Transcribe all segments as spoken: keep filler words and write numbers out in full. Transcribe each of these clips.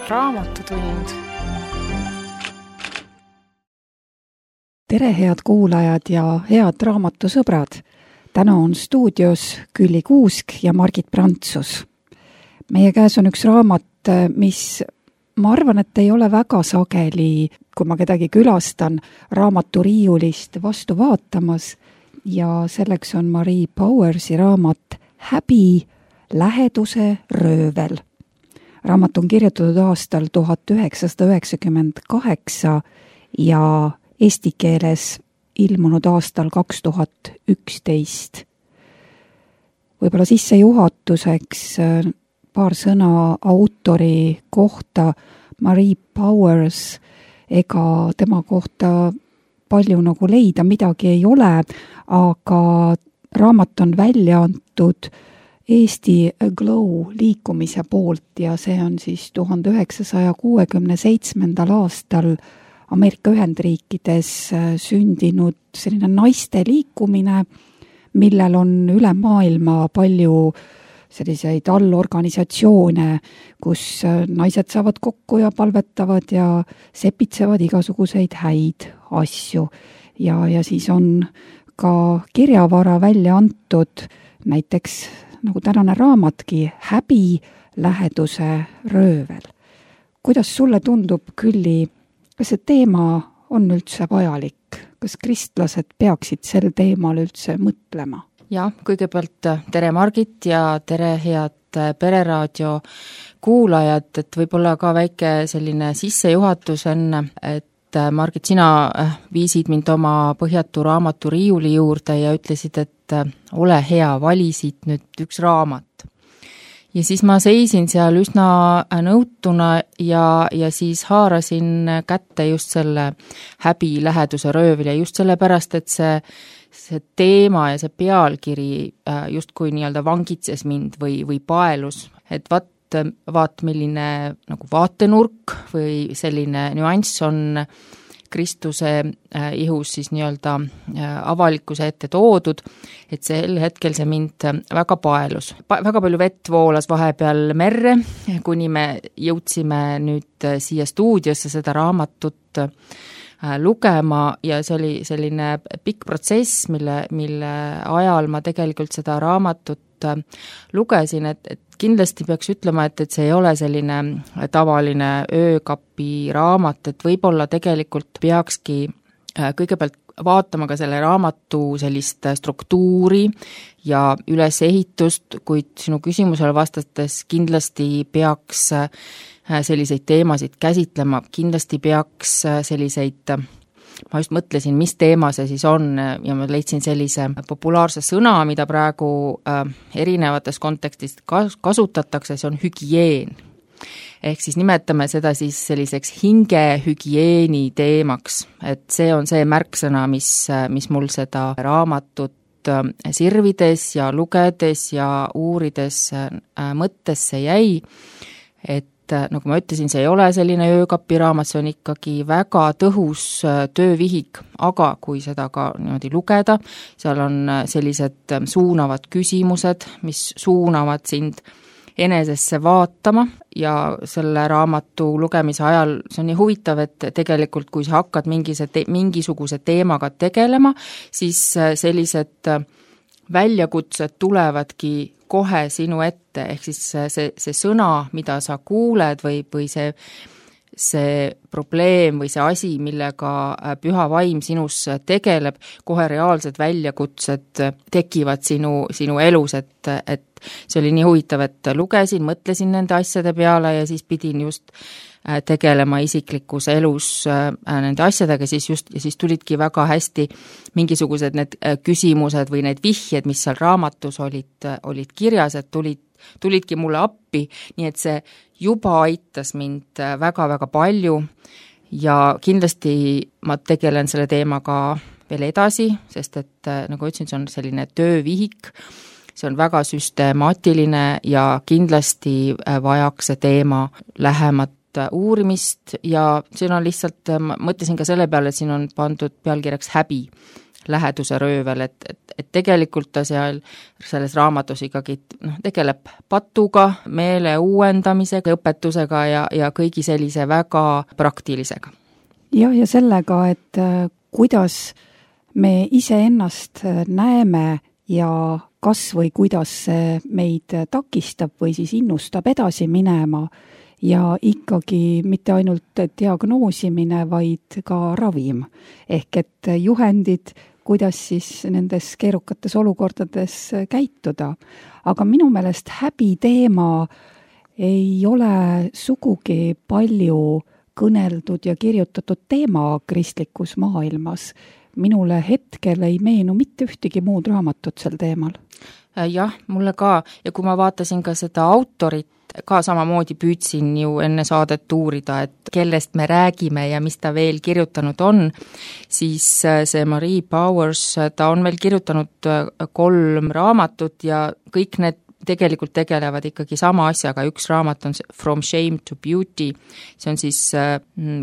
Raamatutund. Tere, head kuulajad ja head raamatusõbrad! Täna on stuudios Külli Kuusk ja Margit Prantsus. Meie käes on üks raamat, mis ma arvan, et ei ole väga sageli, kui ma kedagi külastan, raamaturiiulist vastu vaatamas ja selleks on Marie Powersi raamat Häbi, läheduse röövel. Raamat on kirjutatud aastal tuhat üheksasada üheksakümmend kaheksa ja eesti keeles ilmunud aastal kaks tuhat üksteist. Võib-olla sissejuhatuseks paar sõna autori kohta. Marie Powers, ega tema kohta palju nagu leida midagi ei ole, aga raamat on välja antud Eesti Glow liikumise poolt ja see on siis tuhande üheksasaja kuuekümne seitsmendal aastal Ameerika Ühendriikides sündinud selline naiste liikumine, millel on üle maailma palju selliseid allorganisatsioone, kus naised saavad kokku ja palvetavad ja sepitsevad igasuguseid häid asju. Ja, ja siis on ka kirjavara välja antud, näiteks nagu tänane raamatki Häbi, läheduse röövel. Kuidas sulle tundub, Külli, kas see teema on üldse vajalik? Kas kristlased peaksid sel teemal üldse mõtlema? Ja, kõigepealt tere Margit ja tere head Pereraadio kuulajad, et võib-olla ka väike selline sissejuhatus enne, et Margit, sina viisid mind oma põhjatu raamatu riiuli juurde ja ütlesid, et ole hea, valisid nüüd üks raamat. Ja siis ma seisin seal üsna nõutuna ja, ja siis haarasin kätte just selle Häbi, läheduse röövel ja just sellepärast, et see, see teema ja see pealkiri just kui nii-öelda vangitses mind või, või paelus, et vaat, vaat milline nagu vaatenurk või selline nüanss on Kristuse ihus siis nii-öelda avalikkuse ette toodud, et sel hetkel see mind väga paelus. Väga palju vett voolas vahepeal merre, kuni me jõudsime nüüd siia stuudiosse seda raamatut lugema ja see oli selline pikk protsess, mille, mille ajal ma tegelikult seda raamatut lugesin, et, et kindlasti peaks ütlema, et, et see ei ole selline tavaline öökapi raamat, et võib-olla tegelikult peakski kõigepealt vaatama ka selle raamatu sellist struktuuri ja ülesehitust, kuid sinu küsimusele vastates kindlasti peaks selliseid teemasid käsitlema, kindlasti peaks selliseid, ma just mõtlesin, mis teema see siis on ja ma leidsin sellise populaarse sõna, mida praegu erinevates kontekstist kasutatakse, see on hügieen. Ehk siis nimetame seda siis selliseks hingehügieeni teemaks, et see on see märksõna, mis, mis mul seda raamatut sirvides ja lugedes ja uurides mõttesse jäi, et nagu ma ütlesin, see ei ole selline öökapiraamat, see on ikkagi väga tõhus töövihik, aga kui seda ka niimoodi lugeda, seal on sellised suunavad küsimused, mis suunavad sind enesesse vaatama ja selle raamatu lugemise ajal see on nii huvitav, et tegelikult kui sa hakkad mingise te- mingisuguse teemaga tegelema, siis sellised väljakutsed tulevadki kohe sinu ette, ehk siis see, see sõna, mida sa kuuled või, või see, see probleem või see asi, millega püha vaim sinus tegeleb, kohe reaalsed väljakutsed tekivad sinu, sinu elus, et, et see oli nii huvitav, et lugesin, mõtlesin nende asjade peale ja siis pidin just tegelema isiklikus elus nende asjadega, siis just, ja siis tulidki väga hästi mingisugused need küsimused või need vihjed, mis seal raamatus olid, olid kirjas, et tulid, tulidki mulle appi, nii et see juba aitas mind väga-väga palju ja kindlasti ma tegelen selle teemaga veel edasi, sest et nagu ütlesin, see on selline töövihik, see on väga süstemaatiline ja kindlasti vajaks see teema lähemat uurimist ja siin on lihtsalt, ma mõtlesin ka selle peale, et siin on pandud pealkirjaks Häbi, läheduse röövel, et, et, et tegelikult ta seal selles raamatus ikkagi noh, tegeleb patuga, meele uuendamisega, õpetusega ja, ja kõigi sellise väga praktilisega. jah, ja sellega, et kuidas me iseennast näeme ja kas või kuidas see meid takistab või siis innustab edasi minema ja ikkagi mitte ainult diagnoosimine, vaid ka ravim. Ehk et juhendid, kuidas siis nendes keerukates olukordades käituda. Aga minu meelest häbi teema ei ole sugugi palju kõneldud ja kirjutatud teema kristlikus maailmas. Minule hetkel ei meenu mitte ühtegi muud raamatut sel teemal. Jah, mulle ka. Ja kui ma vaatasin ka seda autorit, ka samamoodi püüdsin ju enne saadet uurida, et kellest me räägime ja mis ta veel kirjutanud on, siis see Marie Bowers, ta on veel kirjutanud kolm raamatut ja kõik need tegelikult tegelevad ikkagi sama asjaga, üks raamat on From Shame to Beauty, see on siis,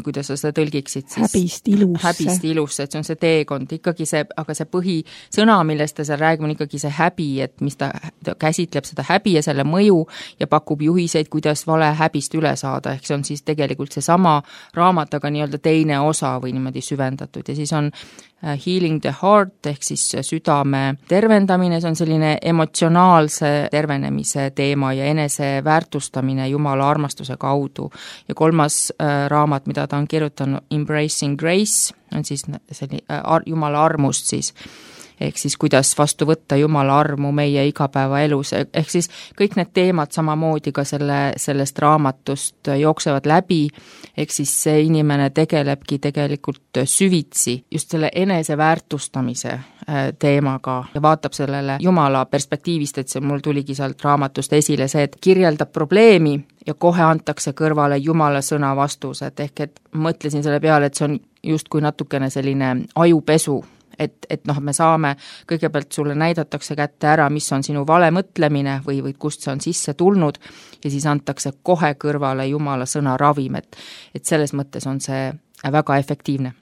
kuidas sa seda tõlgiksid siis? Häbist ilusse. Häbist ilusse, et see on see teekond, ikkagi see, aga see põhisõna, millest ta seal räägib, on ikkagi see häbi, et mis ta, ta käsitleb seda häbi ja selle mõju ja pakub juhiseid, kuidas vale häbist üle saada, ehk see on siis tegelikult see sama raamat, aga nii-öelda teine osa või niimoodi süvendatud ja siis on Healing the Heart ehk siis südame tervendamine, see on selline emotsionaalse tervenemise teema ja enese väärtustamine Jumala armastuse kaudu. Ja kolmas äh, raamat, mida ta on kirjutanud, Embracing Grace, on siis selline äh, ar- Jumala armust siis, ehk siis kuidas vastu võtta Jumala armu meie igapäevaelus, ehk siis kõik need teemad samamoodi ka selle, sellest raamatust jooksevad läbi, ehk siis see inimene tegelebki tegelikult süvitsi just selle enese väärtustamise teemaga ja vaatab sellele Jumala perspektiivist, et see mul tuligi sealt raamatust esile see, et kirjeldab probleemi ja kohe antakse kõrvale Jumala sõna vastused, ehk et mõtlesin selle peale, et see on justkui natukene selline ajupesu, et, et noh, me saame, kõigepealt sulle näidatakse kätte ära, mis on sinu vale mõtlemine või, või kust see on sisse tulnud ja siis antakse kohe kõrvale Jumala sõna ravim, et, et selles mõttes on see väga efektiivne.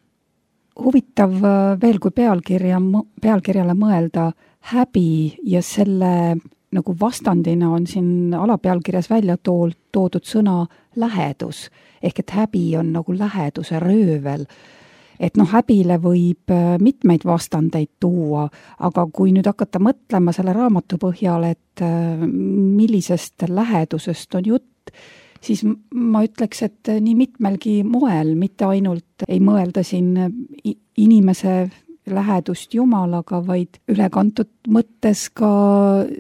Huvitav veel, kui pealkirja, pealkirjale mõelda häbi ja selle nagu vastandina on siin alapealkirjas välja tool, toodud sõna lähedus, ehk et häbi on nagu läheduse röövel. Et noh, häbile võib mitmeid vastandeid tuua, aga kui nüüd hakata mõtlema selle raamatu põhjal, et millisest lähedusest on jutt, siis ma ütleks, et nii mitmelgi moel, mitte ainult ei mõelda siin inimese lähedust Jumalaga, vaid ülekantud mõttes ka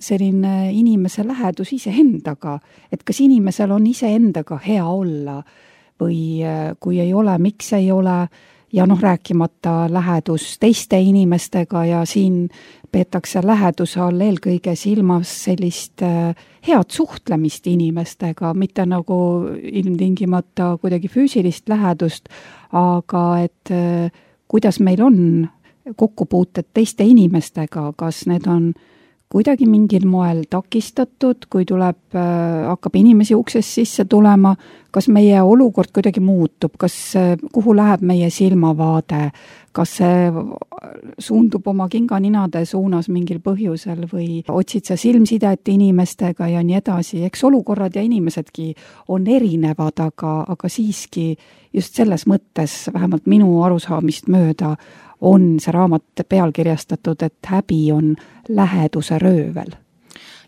selline inimese lähedus iseendaga, et kas inimesel on iseendaga hea olla või kui ei ole, miks ei ole, ja noh, rääkimata lähedus teiste inimestega ja siin peetakse läheduse all eelkõige silmas sellist head suhtlemist inimestega, mitte nagu ilmtingimata kuidagi füüsilist lähedust, aga et kuidas meil on kokkupuuted teiste inimestega, kas need on kuidagi mingil moel takistatud, kui tuleb, hakkab inimesi uksest sisse tulema, kas meie olukord kuidagi muutub, kas, kuhu läheb meie silmavaade, kas see suundub oma kinganinade suunas mingil põhjusel või otsid sa silmsidet inimestega ja nii edasi. Eks olukorrad ja inimesedki on erinevad, aga, aga siiski just selles mõttes, vähemalt minu arusaamist mööda, on see raamat pealkirjastatud, et häbi on läheduse röövel.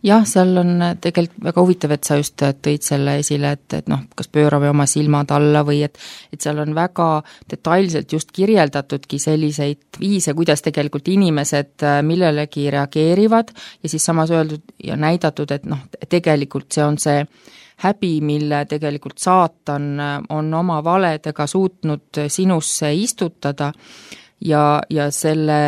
Jah, seal on tegelikult väga huvitav, et sa just tõid selle esile, et, et noh, kas pöörame oma silmad alla või et, et seal on väga detailselt just kirjeldatudki selliseid viise, kuidas tegelikult inimesed millelegi reageerivad ja siis samas öeldud ja näidatud, et noh, tegelikult see on see häbi, mille tegelikult saatan on oma valedega suutnud sinusse istutada ja, ja selle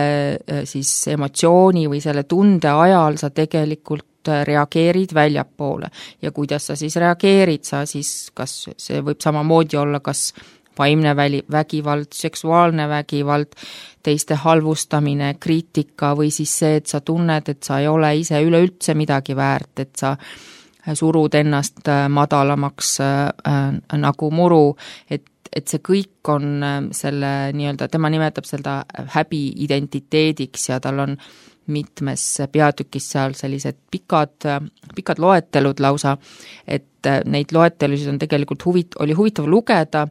siis emotsiooni või selle tunde ajal sa tegelikult reageerid väljapoole ja kuidas sa siis reageerid, sa siis, kas see võib samamoodi olla, kas vaimne väli, vägivald, seksuaalne vägivald, teiste halvustamine, kriitika või siis see, et sa tunned, et sa ei ole ise üleüldse midagi väärt, et sa surud ennast madalamaks äh, nagu muru, et et see kõik on selle nii-öelda, tema nimetab seda häbi identiteediks ja tal on mitmes peatükis seal sellised pikad, pikad loetelud lausa, et neid loetelusid on tegelikult huvit-, oli huvitav lugeda,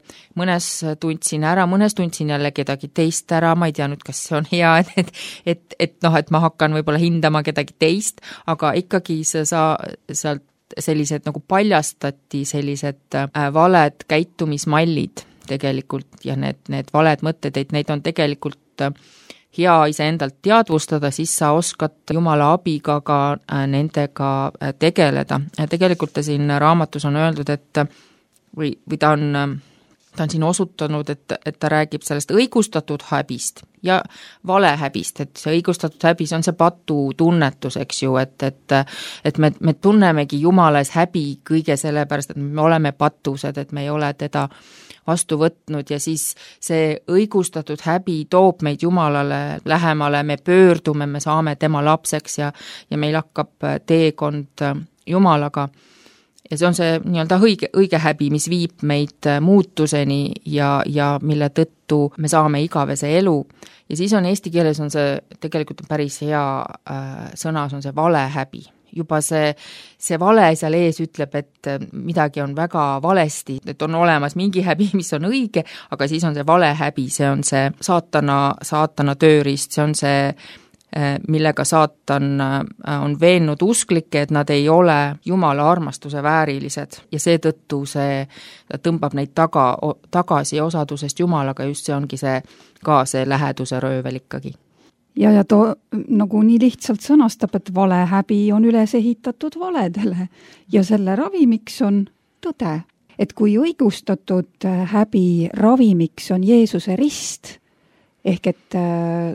mõnes tundsin ära, mõnes tundsin jälle kedagi teist ära, ma ei tea nüüd, kas see on hea, et, et, et noh, et ma hakkan võib-olla hindama kedagi teist, aga ikkagi see sa, sealt sellised nagu paljastati sellised valed käitumismallid tegelikult ja need, need valed mõtted, et neid on tegelikult hea iseendalt teadvustada, siis sa oskad Jumala abiga ka nendega tegeleda. Tegelikult ta siin raamatus on öeldud, et või, või ta on, ta on siin osutanud, et, et ta räägib sellest õigustatud häbist ja valehäbist, et see õigustatud häbis on see patu tunnetus, eks ju, et, et, et me, me tunnemegi Jumalas häbi kõige sellepärast, et me oleme patused, et me ei ole teda vastu võtnud ja siis see õigustatud häbi toob meid Jumalale lähemale, me pöördume, me saame tema lapseks ja, ja meil hakkab teekond Jumalaga. Ja see on see nii-öelda õige, õige häbi, mis viib meid muutuseni ja, ja mille tõttu me saame igavese elu. Ja siis on eesti keeles on see tegelikult päris hea äh, sõna, see on see valehäbi. Juba see, see vale seal ees ütleb, et midagi on väga valesti, et on olemas mingi häbi, mis on õige, aga siis on see valehäbi, see on see saatana, saatana tööriist, see on see, millega saatan on veennud usklikke, et nad ei ole Jumala armastuse väärilised ja seetõttu see tõmbab neid taga, tagasi osadusest Jumalaga, just see ongi see ka see läheduse röövel ikkagi. Ja, ja too nagu nii lihtsalt sõnastab, et valehäbi on üles ehitatud valedele ja selle ravimiks on tõde. Et kui õigustatud häbi ravimiks on Jeesuse rist, ehk et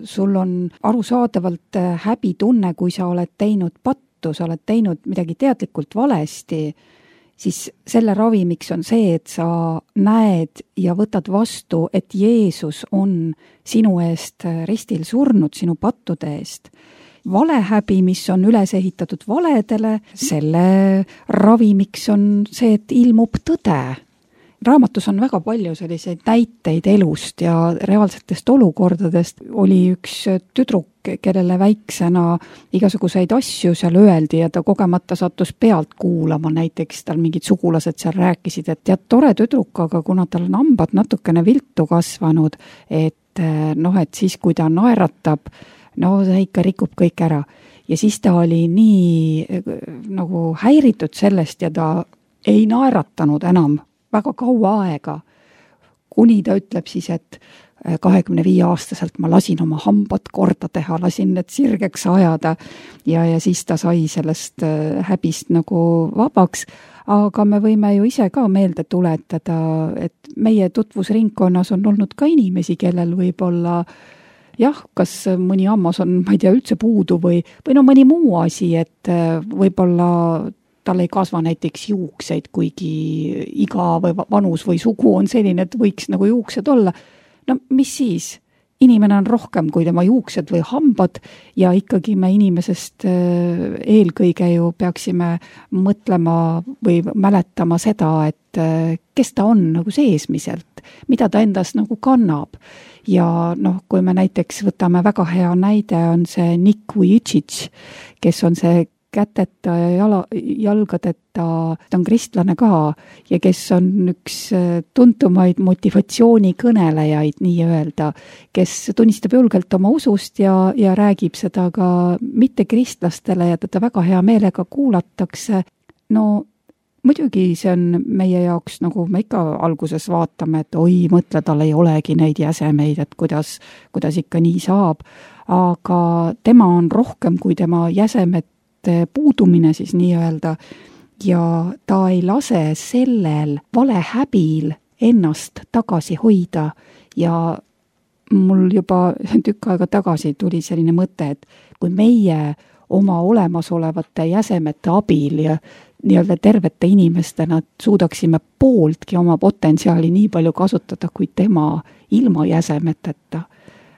sul on arusaadavalt häbitunne, kui sa oled teinud pattu, sa oled teinud midagi teadlikult valesti, siis selle ravimiks on see, et sa näed ja võtad vastu, et Jeesus on sinu eest ristil surnud, sinu pattude eest. Valehäbi, mis on üles ehitatud valedele, selle ravimiks on see, et ilmub tõde. Raamatus on väga palju selliseid näiteid elust ja reaalsetest olukordadest. Oli üks tüdruk, kellele väiksena igasuguseid asju seal öeldi ja ta kogemata sattus pealt kuulama, näiteks tal mingid sugulased seal rääkisid, et tead, tore tüdruk, aga kuna tal on hambad natukene viltu kasvanud, et noh, et siis kui ta naeratab, no see ikka rikub kõik ära. Ja siis ta oli nii nagu häiritud sellest ja ta ei naeratanud enam väga kaua aega, kuni ta ütleb siis, et kahekümne viie aastaselt ma lasin oma hambad korda teha, lasin need sirgeks ajada ja, ja siis ta sai sellest häbist nagu vabaks. Aga me võime ju ise ka meelde tuletada, et meie tutvusringkonnas on olnud ka inimesi, kellel võib-olla jah, kas mõni hammas on, ma ei tea, üldse puudu või, või no mõni muu asi, et võib-olla tal ei kasva näiteks juukseid, kuigi iga või vanus või sugu on selline, et võiks nagu juuksed olla. No mis siis? Inimene on rohkem kui tema juuksed või hambad ja ikkagi me inimesest eelkõige ju peaksime mõtlema või mäletama seda, et kes ta on nagu seesmiselt, mida ta endas nagu kannab. Ja noh, kui me näiteks võtame väga hea näide, on see Nick Vujicic, kes on see käteta ja jala, jalgadeta, ta on kristlane ka ja kes on üks tuntumaid motivatsioonikõnelejaid nii-öelda, kes tunnistab julgelt oma usust ja, ja räägib seda ka mitte kristlastele ja teda väga hea meelega kuulatakse. No muidugi see on meie jaoks, nagu me ikka alguses vaatame, et oi, mõtle, tal ei olegi neid jäsemeid, et kuidas, kuidas ikka nii saab, aga tema on rohkem kui tema jäsemed puudumine siis nii-öelda ja ta ei lase sellel valehäbil ennast tagasi hoida ja mul juba tükk aega tagasi tuli selline mõte, et kui meie oma olemasolevate jäsemete abil ja nii-öelda tervete inimestena suudaksime pooltki oma potentsiaali nii palju kasutada kui tema ilma jäsemeteta,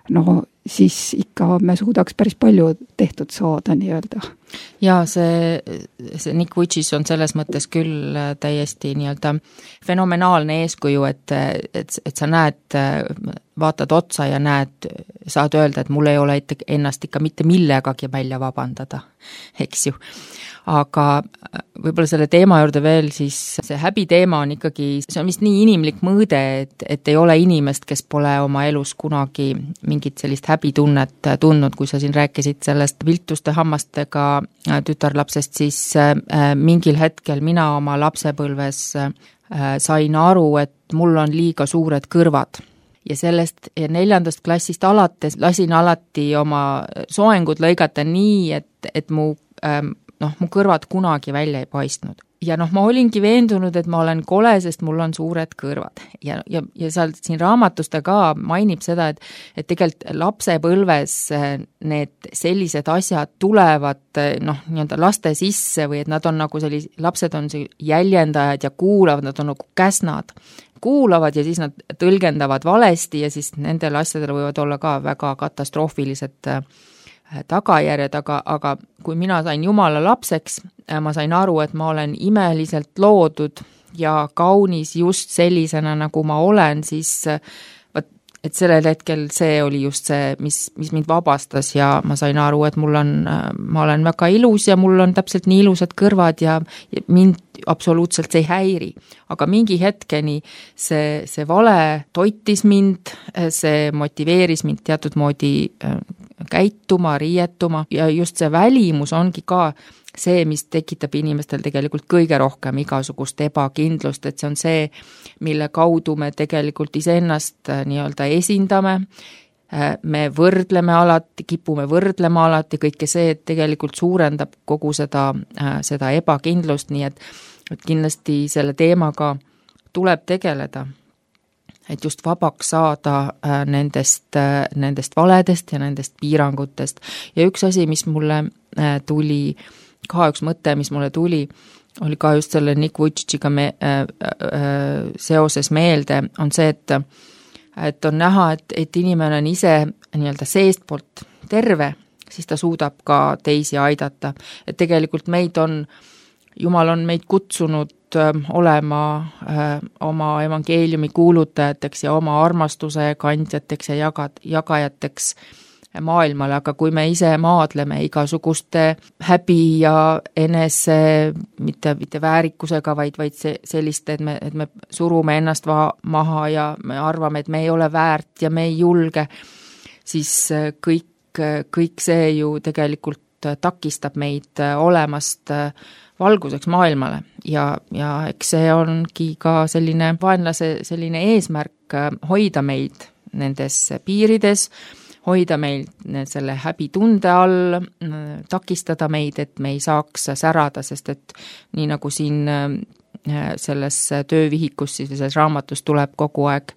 no siis ikka me suudaks päris palju tehtud saada nii-öelda. Ja see, see Nick Vujicic on selles mõttes küll täiesti nii-öelda fenomenaalne eeskuju, et, et, et sa näed, vaatad otsa ja näed, saad öelda, et mul ei ole ennast ikka mitte millegagi välja vabandada, eks ju. Aga võib-olla selle teema juurde veel, siis see häbi teema on ikkagi, see on vist nii inimlik mõõde, et, et ei ole inimest, kes pole oma elus kunagi mingit sellist häbitunnet tundnud, kui sa siin rääkisid sellest viltuste hammastega tütarlapsest, siis mingil hetkel mina oma lapsepõlves sain aru, et mul on liiga suured kõrvad. Ja sellest neljandast klassist alates lasin alati oma soengud lõigata nii, et, et mu noh, mu kõrvad kunagi välja ei paistnud. Ja noh, ma olingi veendunud, et ma olen kole, sest mul on suured kõrvad. Ja, ja, ja seal siin raamatusta ka mainib seda, et, et tegelikult lapsepõlves need sellised asjad tulevad noh, nii-öelda laste sisse või et nad on nagu sellis, lapsed on jäljendajad ja kuulavad, nad on nagu käsnad. Kuulavad ja siis nad tõlgendavad valesti ja siis nendel asjadel võivad olla ka väga katastroofilised tagajärjed, aga, aga kui mina sain Jumala lapseks, ma sain aru, et ma olen imeliselt loodud ja kaunis just sellisena, nagu ma olen, siis et sellel hetkel see oli just see, mis, mis mind vabastas ja ma sain aru, et mul on, ma olen väga ilus ja mul on täpselt nii ilusad kõrvad ja mind absoluutselt see ei häiri. Aga mingi hetkeni see, see vale toitis mind, see motiveeris mind teatud moodi käituma, riietuma ja just see välimus ongi ka see, mis tekitab inimestel tegelikult kõige rohkem igasugust ebakindlust, et see on see, mille kaudu me tegelikult iseennast nii-öelda esindame, me võrdleme alati, kipume võrdlema alati, kõike see, et tegelikult suurendab kogu seda, seda ebakindlust, nii et, et kindlasti selle teemaga tuleb tegeleda. Et just vabaks saada nendest, nendest valedest ja nendest piirangutest. Ja üks asi, mis mulle tuli, ka üks mõte, mis mulle tuli, oli ka just selle Nick Vujiciciga me, äh, äh, seoses meelde, on see, et, et on näha, et, et inimene on ise nii-öelda seestpoolt terve, siis ta suudab ka teisi aidata. Et tegelikult meid on, Jumal on meid kutsunud olema öö, oma evangeeliumi kuulutajateks ja oma armastuse kandjateks ja jagad, jagajateks maailmale, aga kui me ise maadleme igasuguste häbi ja enese, mitte, mitte väärikusega, vaid, vaid see, selliste, et me, et me surume ennast va- maha ja me arvame, et me ei ole väärt ja me ei julge, siis kõik, kõik see ju tegelikult takistab meid olemast valguseks maailmale ja, ja eks see ongi ka selline vaenlase selline eesmärk hoida meid nendes piirides, hoida meil selle häbitunde all, takistada meid, et me ei saaks särada, sest et nii nagu siin selles töövihikus, siis selles raamatus tuleb kogu aeg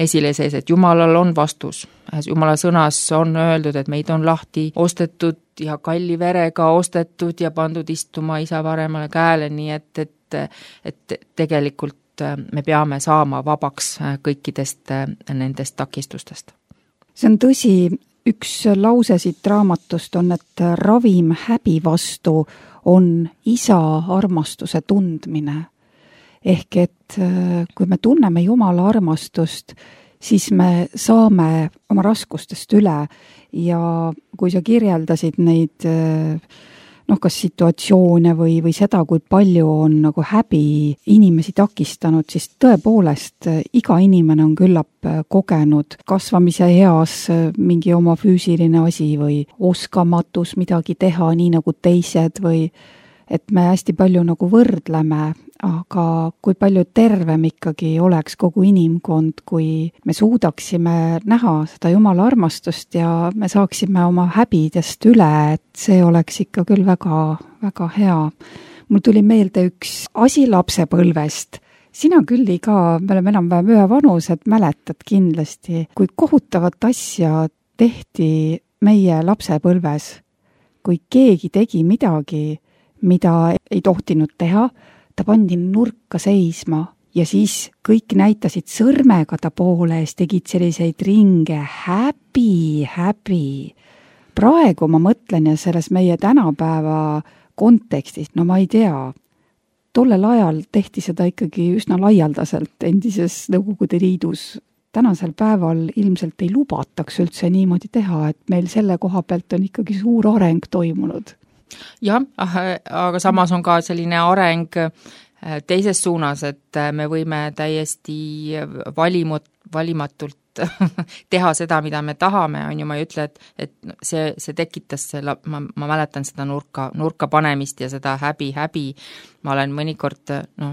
esile sees, et Jumalal on vastus. Jumala sõnas on öeldud, et meid on lahti ostetud ja kalli verega ostetud ja pandud istuma isa paremale käele, nii et, et, et tegelikult me peame saama vabaks kõikidest nendest takistustest. See on tõsi, üks lause siit raamatust on, et ravim häbi vastu on isa armastuse tundmine. Ehk et kui me tunneme Jumala armastust, siis me saame oma raskustest üle ja kui sa kirjeldasid neid noh, kas situatsioone või, või seda, kui palju on nagu häbi inimesi takistanud, siis tõepoolest iga inimene on küllap kogenud kasvamise eas mingi oma füüsiline asi või oskamatus midagi teha nii nagu teised või et me hästi palju nagu võrdleme, aga kui palju tervem ikkagi oleks kogu inimkond, kui me suudaksime näha seda Jumala armastust ja me saaksime oma häbidest üle, et see oleks ikka küll väga, väga hea. Mul tuli meelde üks asi lapsepõlvest. Sina küll ka, me oleme enam-vähem ühe vanused, mäletad kindlasti, kui kohutavat asja tehti meie lapsepõlves, kui keegi tegi midagi, mida ei tohtinud teha, ta pandi nurka seisma ja siis kõik näitasid sõrmega ta poole ja tegid selliseid ringe, häbi, häbi. Praegu ma mõtlen ja selles meie tänapäeva kontekstis, no ma ei tea, tollel ajal tehti seda ikkagi üsna laialdaselt endises Nõukogude Liidus. Tänasel päeval ilmselt ei lubataks üldse niimoodi teha, et meil selle koha pealt on ikkagi suur areng toimunud. Jah, aga samas on ka selline areng teises suunas, et me võime täiesti valimut, valimatult teha seda, mida me tahame, on ju, ma ei ütle, et, et see, see tekitas selle, ma, ma mäletan seda nurka, nurka panemist ja seda häbi, häbi. Ma olen mõnikord no,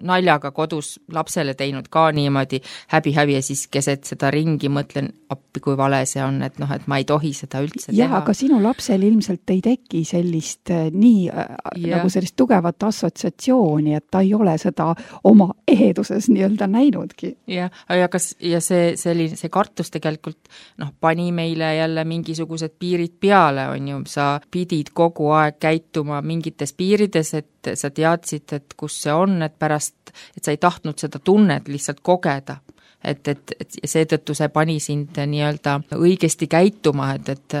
naljaga kodus lapsele teinud ka niimoodi häbi, häbi ja siis keset seda ringi mõtlen, appi kui vale see on, et noh, et ma ei tohi seda üldse ja, teha. Aga sinu lapsel ilmselt ei teki sellist nii ja. nagu sellist tugevat assotsiatsiooni, et ta ei ole seda oma eheduses nii-öelda näinudki. Ja, ja, kas, ja see, see, see kartus tegelikult noh, pani meile jälle mingisugused piirid peale, on ju, sa pidid kogu aeg käituma mingites piirides, et sa teadsid, et kus see on, et pärast, et sa ei tahtnud seda tunnet lihtsalt kogeda. Et, et, et seetõttu see pani sind nii-öelda õigesti käituma, et, et,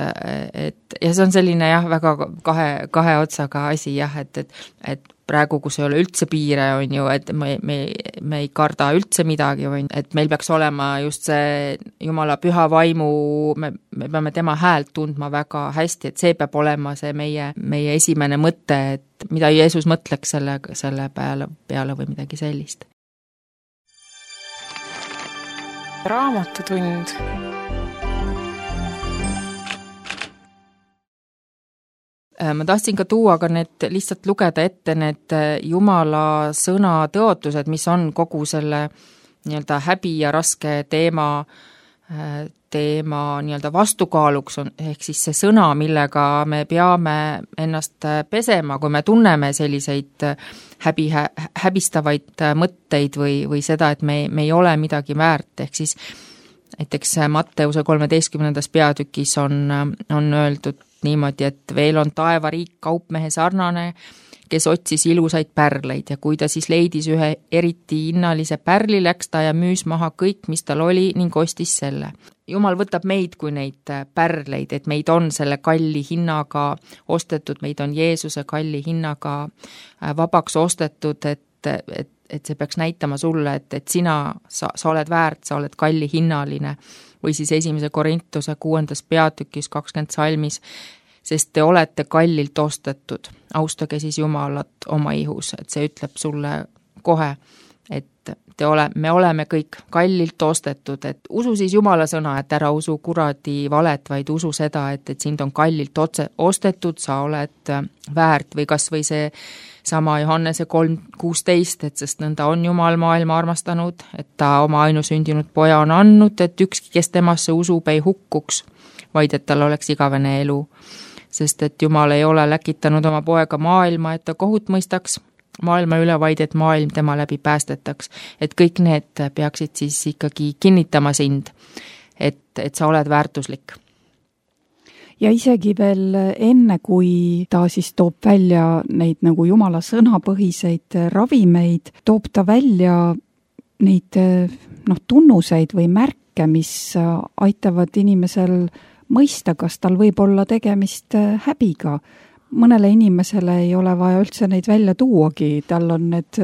et ja see on selline jah, väga kahe, kahe otsaga asi jah, et, et, et praegu, kus ei ole üldse piire, on ju, et me, me, me ei karda üldse midagi, on, et meil peaks olema just see Jumala püha vaimu, me, me peame tema häält tundma väga hästi, et see peab olema see meie, meie esimene mõte, et mida Jeesus mõtleks selle, selle peale, peale või midagi sellist. Raamatutund. Ma tahtsin ka tuua ka need, lihtsalt lugeda ette need Jumala sõna tõotused, mis on kogu selle nii-öelda häbi ja raske teema, teema nii-öelda vastukaaluks on, ehk siis see sõna, millega me peame ennast pesema, kui me tunneme selliseid häbi, häbistavaid mõtteid või, või seda, et me, me ei ole midagi väärt, ehk siis näiteks Matteuse kolmeteistkümnendas peatükis on, on öeldud niimoodi, et veel on taevariik kaupmehe sarnane, kes otsis ilusaid pärleid ja kui ta siis leidis ühe eriti hinnalise pärli, läks ta ja müüs maha kõik, mis tal oli ning ostis selle. Jumal võtab meid kui neid pärleid, et meid on selle kalli hinnaga ostetud, meid on Jeesuse kalli hinnaga vabaks ostetud, et, et, et see peaks näitama sulle, et, et sina, sa, sa oled väärt, sa oled kalli hinnaline. Või siis esimese Korintuse kuuendas peatükis kakskümmend salmis, sest te olete kallilt ostetud. Austage siis Jumalat oma ihus, et see ütleb sulle kohe, et te ole, me oleme kõik kallilt ostetud, et usu siis Jumala sõna, et ära usu kuradi valet, vaid usu seda, et, et sind on kallilt otse, ostetud, sa oled väärt või kas või see sama Johannese kolm kuusteist, et sest nõnda on Jumal maailma armastanud, et ta oma ainusündinud poja on andnud, et ükski, kes temasse usub, ei hukkuks, vaid et tal oleks igavene elu. Sest et Jumal ei ole läkitanud oma poega maailma, et ta kohut mõistaks maailma üle, vaid et maailm tema läbi päästetaks. Et kõik need peaksid siis ikkagi kinnitama sind, et, et sa oled väärtuslik. Ja isegi veel enne, kui ta siis toob välja neid nagu Jumala sõnapõhiseid ravimeid, toob ta välja neid noh, tunnuseid või märke, mis aitavad inimesel mõista, kas tal võib olla tegemist häbiga. Mõnele inimesele ei ole vaja üldse neid välja tuuagi, tal on need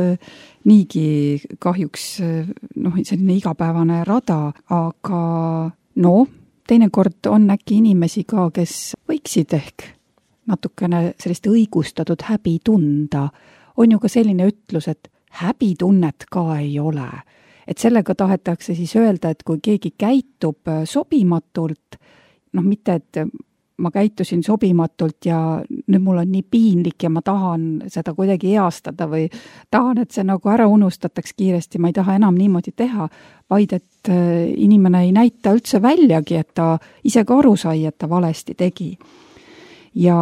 niigi kahjuks noh, selline igapäevane rada, aga no teinekord on äkki inimesi ka, kes võiksid ehk natukene sellist õigustatud häbi tunda. On ju ka selline ütlus, et häbitunnet ka ei ole. Et sellega tahetakse siis öelda, et kui keegi käitub sobimatult, noh mitte, et ma käitusin sobimatult ja nüüd mul on nii piinlik ja ma tahan seda kuidagi eastada või tahan, et see nagu ära unustataks kiiresti, ma ei taha enam niimoodi teha, vaid et inimene ei näita üldse väljagi, et ta ise ka aru sai, et ta valesti tegi. Ja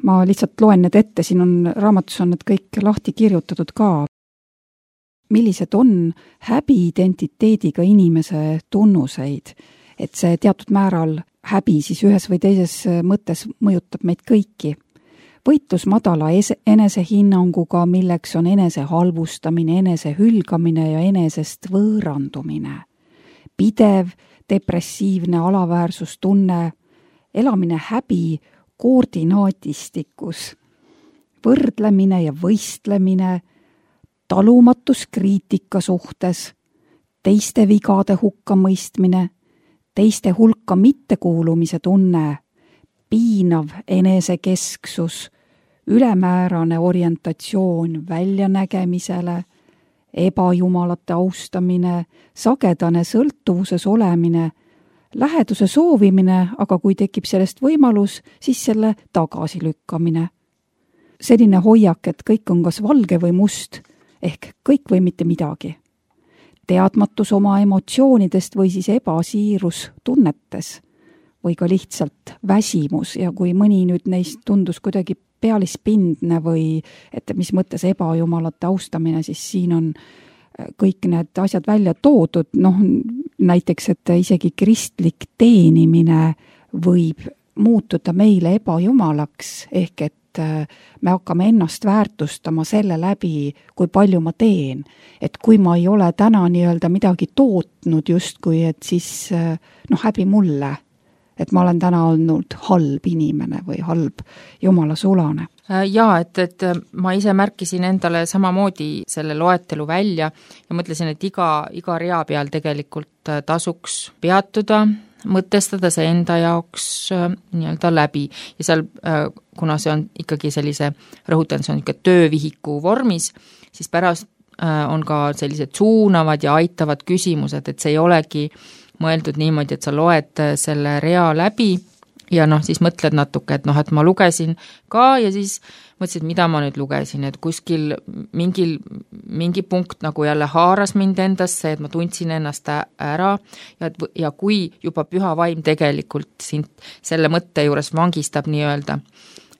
ma lihtsalt loen need ette, siin on raamatus on need kõik lahti kirjutatud ka. Millised on häbi identiteediga inimese tunnuseid, et see teatud määral häbi siis ühes või teises mõttes mõjutab meid kõiki. võitlus madala enesehinnanguga, milleks on enese halvustamine, enese hülgamine ja enesest võõrandumine. Pidev, depressiivne alaväärsustunne, elamine häbi koordinaatistikus, võrdlemine ja võistlemine, talumatus kriitika suhtes, teiste vigade hukkamõistmine, teiste hulka mittekuulumise tunne, piinav enesekesksus, ülemäärane orientatsioon väljanägemisele, ebajumalate austamine, sagedane sõltuvuses olemine, läheduse soovimine, aga kui tekib sellest võimalus, siis selle tagasilükkamine. Selline hoiak, et kõik on kas valge või must, ehk kõik või mitte midagi. Teadmatus oma emotsioonidest või siis ebasiirus tunnetes või ka lihtsalt väsimus ja kui mõni nüüd neist tundus kuidagi pealispindne või et mis mõttes ebajumalate austamine, siis siin on kõik need asjad välja toodud, noh näiteks, et isegi kristlik teenimine võib muutuda meile ebajumalaks, ehk et me hakkame ennast väärtustama selle läbi, kui palju ma teen. Et kui ma ei ole täna nii-öelda midagi tootnud justkui, et siis noh, häbi mulle, et ma olen täna olnud halb inimene või halb jumala sulane. Jaa, et, et ma ise märkisin endale samamoodi selle loetelu välja ja mõtlesin, et iga, iga rea peal tegelikult tasuks peatuda, mõtestada see enda jaoks nii-öelda läbi ja seal, kuna see on ikkagi sellise, rõhutan, see on ikka töövihiku vormis, siis pärast on ka sellised suunavad ja aitavad küsimused, et see ei olegi mõeldud niimoodi, et sa loed selle rea läbi ja noh, siis mõtled natuke, et noh, et ma lugesin ka ja siis mõtlesin, et mida ma nüüd lugesin, et kuskil mingil, mingi punkt nagu jälle haaras mind endasse, et ma tundsin ennast ära ja, ja kui juba püha vaim tegelikult sind selle mõtte juures vangistab nii-öelda,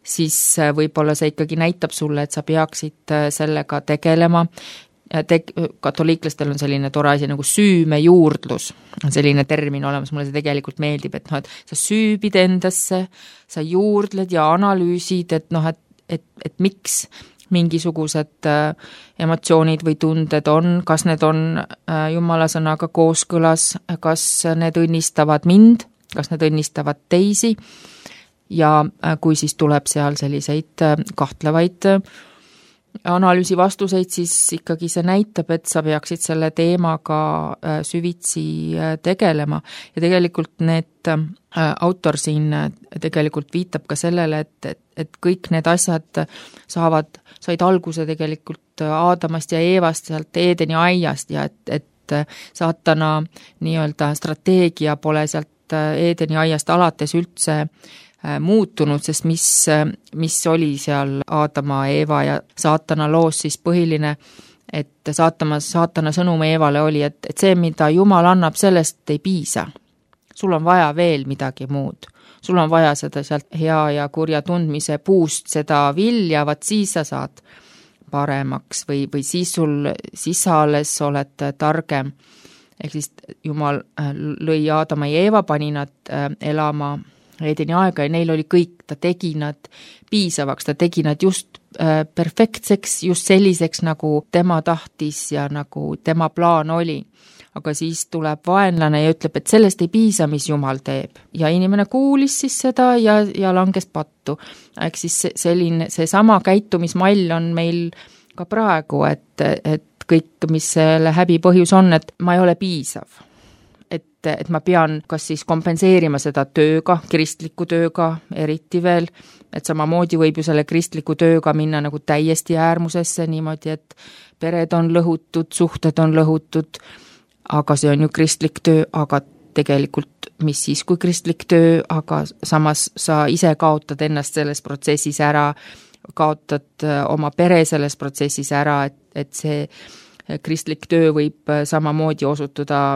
siis võib-olla see ikkagi näitab sulle, et sa peaksid sellega tegelema. Te-, katoliiklastel on selline tore asi nagu süümejuurdlus, on selline termin olemas, mulle see tegelikult meeldib, et noh, et sa süübid endasse, sa juurdled ja analüüsid, et noh, et, et, et miks mingisugused äh, emotsioonid või tunded on, kas need on äh, jumala sõnaga kooskõlas, kas need õnnistavad mind, kas need õnnistavad teisi ja äh, kui siis tuleb seal selliseid äh, kahtlevaid äh, analüüsi vastuseid, siis ikkagi see näitab, et sa peaksid selle teemaga süvitsi tegelema ja tegelikult need autor siin tegelikult viitab ka sellele, et, et, et kõik need asjad saavad, said alguse tegelikult Aadamast ja Eevast sealt Eedeni aiast ja et, et saatana nii-öelda strateegia pole sealt Eedeni aiast alates üldse muutunud, sest mis, mis oli seal Aadama, Eeva ja saatana loos siis põhiline, et saatama, saatana sõnum Eevale oli, et, et see, mida Jumal annab, sellest ei piisa. Sul on vaja veel midagi muud. Sul on vaja seda sealt hea ja kurja tundmise puust seda vilja, vaat siis sa saad paremaks või, või siis sul, siis sa alles oled targem. Ehk siis Jumal lõi Aadama ja Eeva, pani nad elama Eedeni aega ja neil oli kõik, ta tegi nad piisavaks, ta tegi nad just äh, perfektseks, just selliseks, nagu tema tahtis ja nagu tema plaan oli. Aga siis tuleb vaenlane ja ütleb, et sellest ei piisa, mis Jumal teeb. Ja inimene kuulis siis seda ja, ja langes pattu. Ehk siis selline, see sama käitumismall on meil ka praegu, et, et kõik, mis selle häbi põhjus on, et ma ei ole piisav. Et, et ma pean kas siis kompenseerima seda tööga, kristliku tööga eriti veel, et samamoodi võib ju selle kristliku tööga minna nagu täiesti äärmusesse niimoodi, et pered on lõhutud, suhted on lõhutud, aga see on ju kristlik töö, aga tegelikult mis siis kui kristlik töö, aga samas sa ise kaotad ennast selles protsessis ära, kaotad oma pere selles protsessis ära, et, et see kristlik töö võib samamoodi osutuda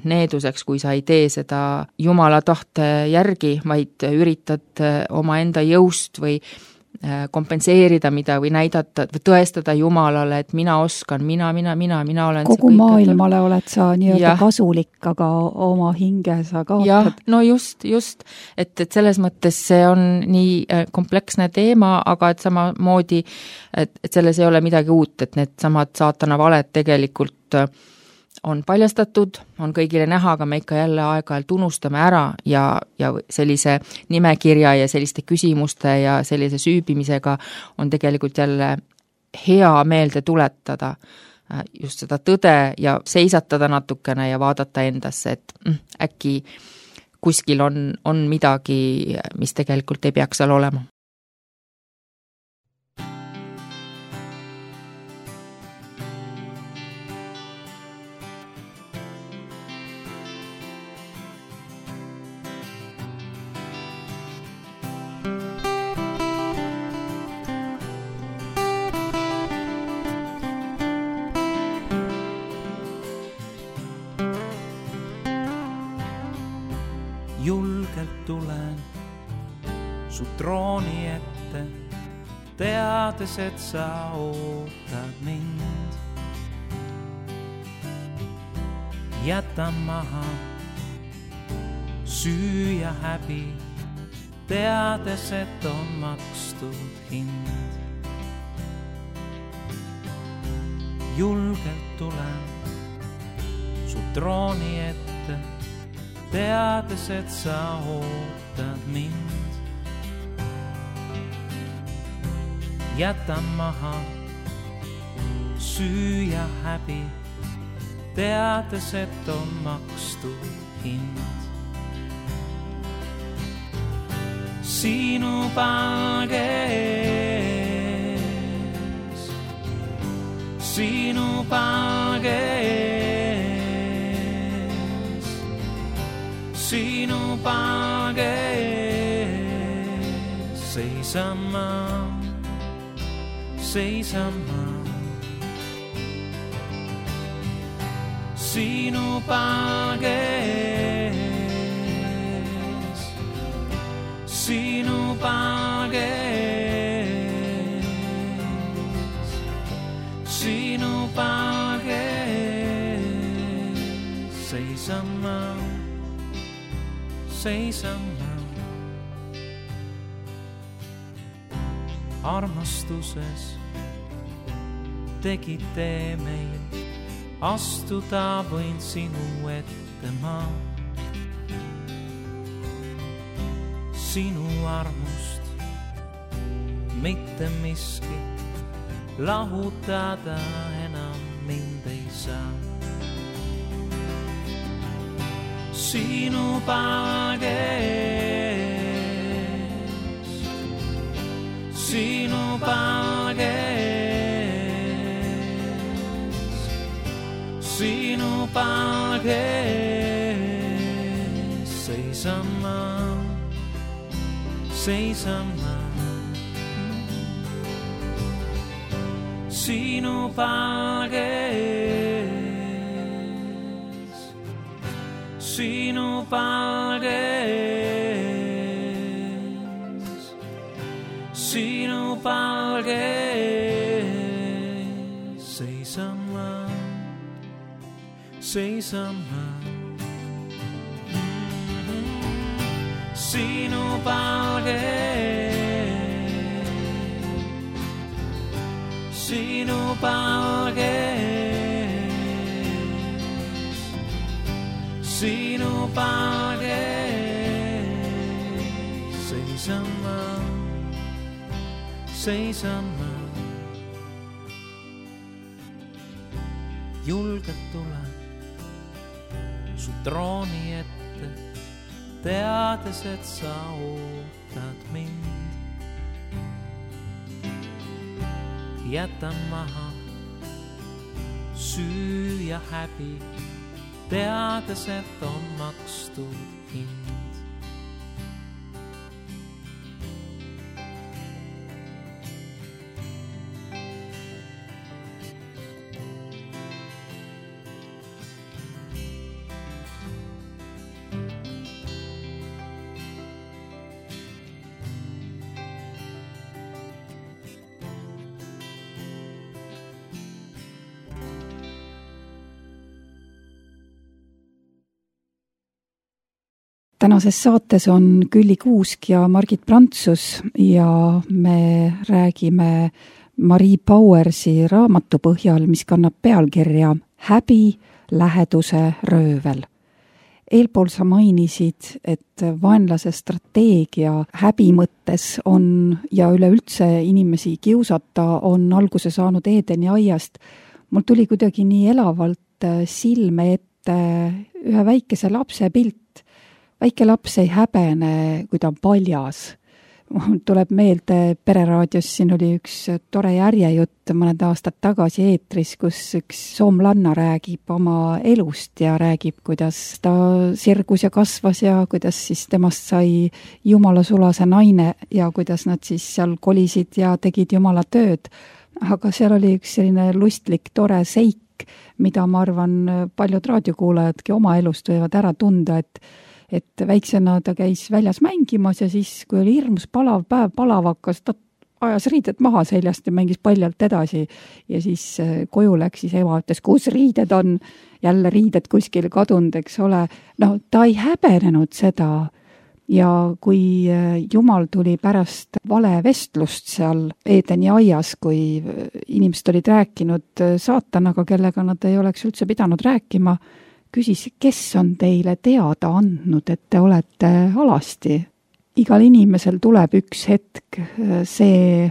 needuseks, kui sa ei tee seda Jumala tahte järgi, vaid üritad oma enda jõust või kompenseerida mida või näidata või tõestada Jumalale, et mina oskan, mina, mina, mina, mina olen kogu maailmale oled sa nii-öelda kasulik, aga oma hinge sa kaotad. Jah, no just, just, et, et selles mõttes see on nii kompleksne teema, aga et samamoodi, et, et selles ei ole midagi uut, et need samad saatana valed tegelikult on paljastatud, on kõigile näha, aga me ikka jälle aeg-ajalt unustame ära ja, ja sellise nimekirja ja selliste küsimuste ja sellise süübimisega on tegelikult jälle hea meelde tuletada just seda tõde ja seisatada natukene ja vaadata endasse, et äkki kuskil on, on midagi, mis tegelikult ei peaks seal olema. Julgelt tulen su trooni ette, teades, et sa ootad mind. Jätan maha süü ja häbi, teades, et on makstud hind. Julgelt tulen su trooni ette, teades, et sa ootad mind. Jätan maha süü ja häbi, teades, et on makstud hind. Sinu palge ees, sinu palge ees, sinu palge ees seisan ma, seisan ma. Sinu palge ees, sinu palge ees, sinu palge ees seisan ma, seisan ma. Armastuses tegid tee meil, astuda võin sinu ette ma. Sinu armust mitte miski lahutada enam mind ei saa. Sinu palge ees, sinu palge ees, sinu palge ees seisan ma, seisan ma. Sinu palge ees, sinu palge ees, sinu palge ees seisan ma, seisan ma. Sinu palge ees, sinu palge ees, sinu palge ees seisan ma, seisan ma. Julgelt tulen su trooni ette, teades, et sa ootad mind. Jätan maha süü ja häbi, teades, et on makstud hind. tänases saates on Külli Kuusk ja Margit Prantsus ja me räägime Marie Bauersi raamatu põhjal, mis kannab pealkirja Häbi, läheduse, röövel. Eelpool sa mainisid, et vaenlase strateegia häbi mõttes on ja üleüldse inimesi kiusata on alguse saanud Eedeni aiast. Mul tuli kuidagi nii elavalt silme ette ühe väikese lapse pilt. Väike laps ei häbene, kui ta on paljas. Tuleb meelde Pereraadios, siin oli üks tore järjejutt mõned aastad tagasi eetris, kus üks soomlanna räägib oma elust ja räägib, kuidas ta sirgus ja kasvas ja kuidas siis temast sai jumala sulase naine ja kuidas nad siis seal kolisid ja tegid jumala tööd. Aga seal oli üks selline lustlik, tore seik, mida ma arvan paljud raadiokuulajadki oma elust võivad ära tunda, et et väiksena ta käis väljas mängimas ja siis, kui oli hirmus palav päev, palav hakkas, ta ajas riided maha seljast ja mängis paljalt edasi ja siis koju läks, siis ema ütles, kus riided on, jälle riided kuskil kadunud, eks ole. No ta ei häbenenud seda ja kui Jumal tuli pärast vale vestlust seal Eedeni aias, kui inimesed olid rääkinud saatanaga, kellega nad ei oleks üldse pidanud rääkima, küsis, kes on teile teada andnud, et te olete alasti. Igal inimesel tuleb üks hetk see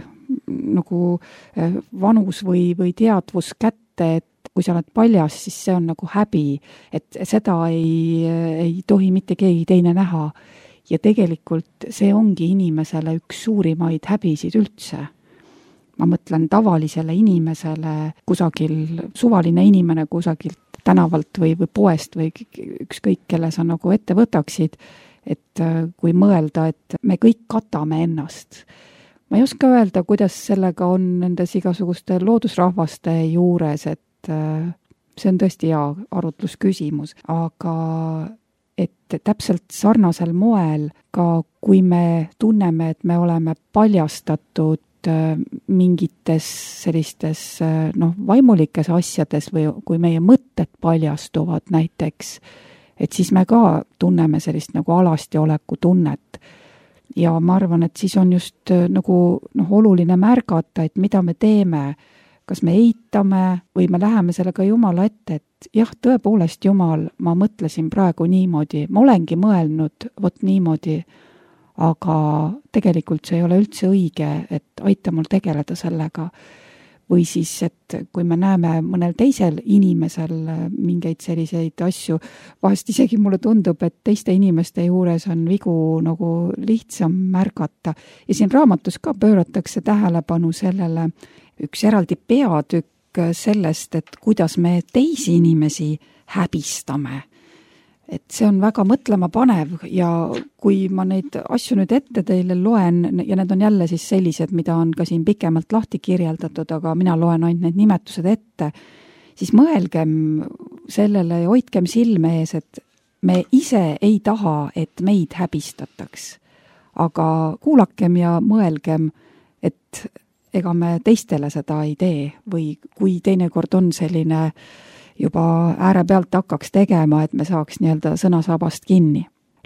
nagu vanus või, või teadvus kätte, et kui sa oled paljas, siis see on nagu häbi, et seda ei, ei tohi mitte keegi teine näha. Ja tegelikult see ongi inimesele üks suurimaid häbisid üldse. Ma mõtlen tavalisele inimesele, kusagil suvaline inimene kusagilt tänavalt või, või poest või ükskõik, kelle sa nagu ette võtaksid, et kui mõelda, et me kõik katame ennast. Ma ei oska öelda, kuidas sellega on nendes igasuguste loodusrahvaste juures, et see on tõesti hea arutlusküsimus, aga et täpselt sarnasel moel, ka kui me tunneme, et me oleme paljastatud mingites sellistes noh, vaimulikes asjades või kui meie mõtted paljastuvad näiteks, et siis me ka tunneme sellist nagu alasti oleku tunnet. Ja ma arvan, et siis on just nagu noh, oluline märgata, et mida me teeme, kas me eitame või me läheme sellega Jumala ette, et jah, tõepoolest Jumal, ma mõtlesin praegu niimoodi, ma olengi mõelnud vot niimoodi, aga tegelikult see ei ole üldse õige, et aita mul tegeleda sellega. Või siis, et kui me näeme mõnel teisel inimesel mingeid selliseid asju, vahest isegi mulle tundub, et teiste inimeste juures on vigu nagu lihtsam märgata. Ja siin raamatus ka pööratakse tähelepanu sellele üks eraldi peatükk sellest, et kuidas me teisi inimesi häbistame. Et see on väga mõtlema panev ja kui ma neid asju nüüd ette teile loen ja need on jälle siis sellised, mida on ka siin pikemalt lahti kirjeldatud, aga mina loen ainult need nimetused ette, siis mõelgem sellele ja hoidkem silme ees, et me ise ei taha, et meid häbistataks. Aga kuulakem ja mõelgem, et ega me teistele seda ei tee või kui teinekord on selline juba ääre pealt hakkaks tegema, et me saaks nii-öelda sõnasabast kinni.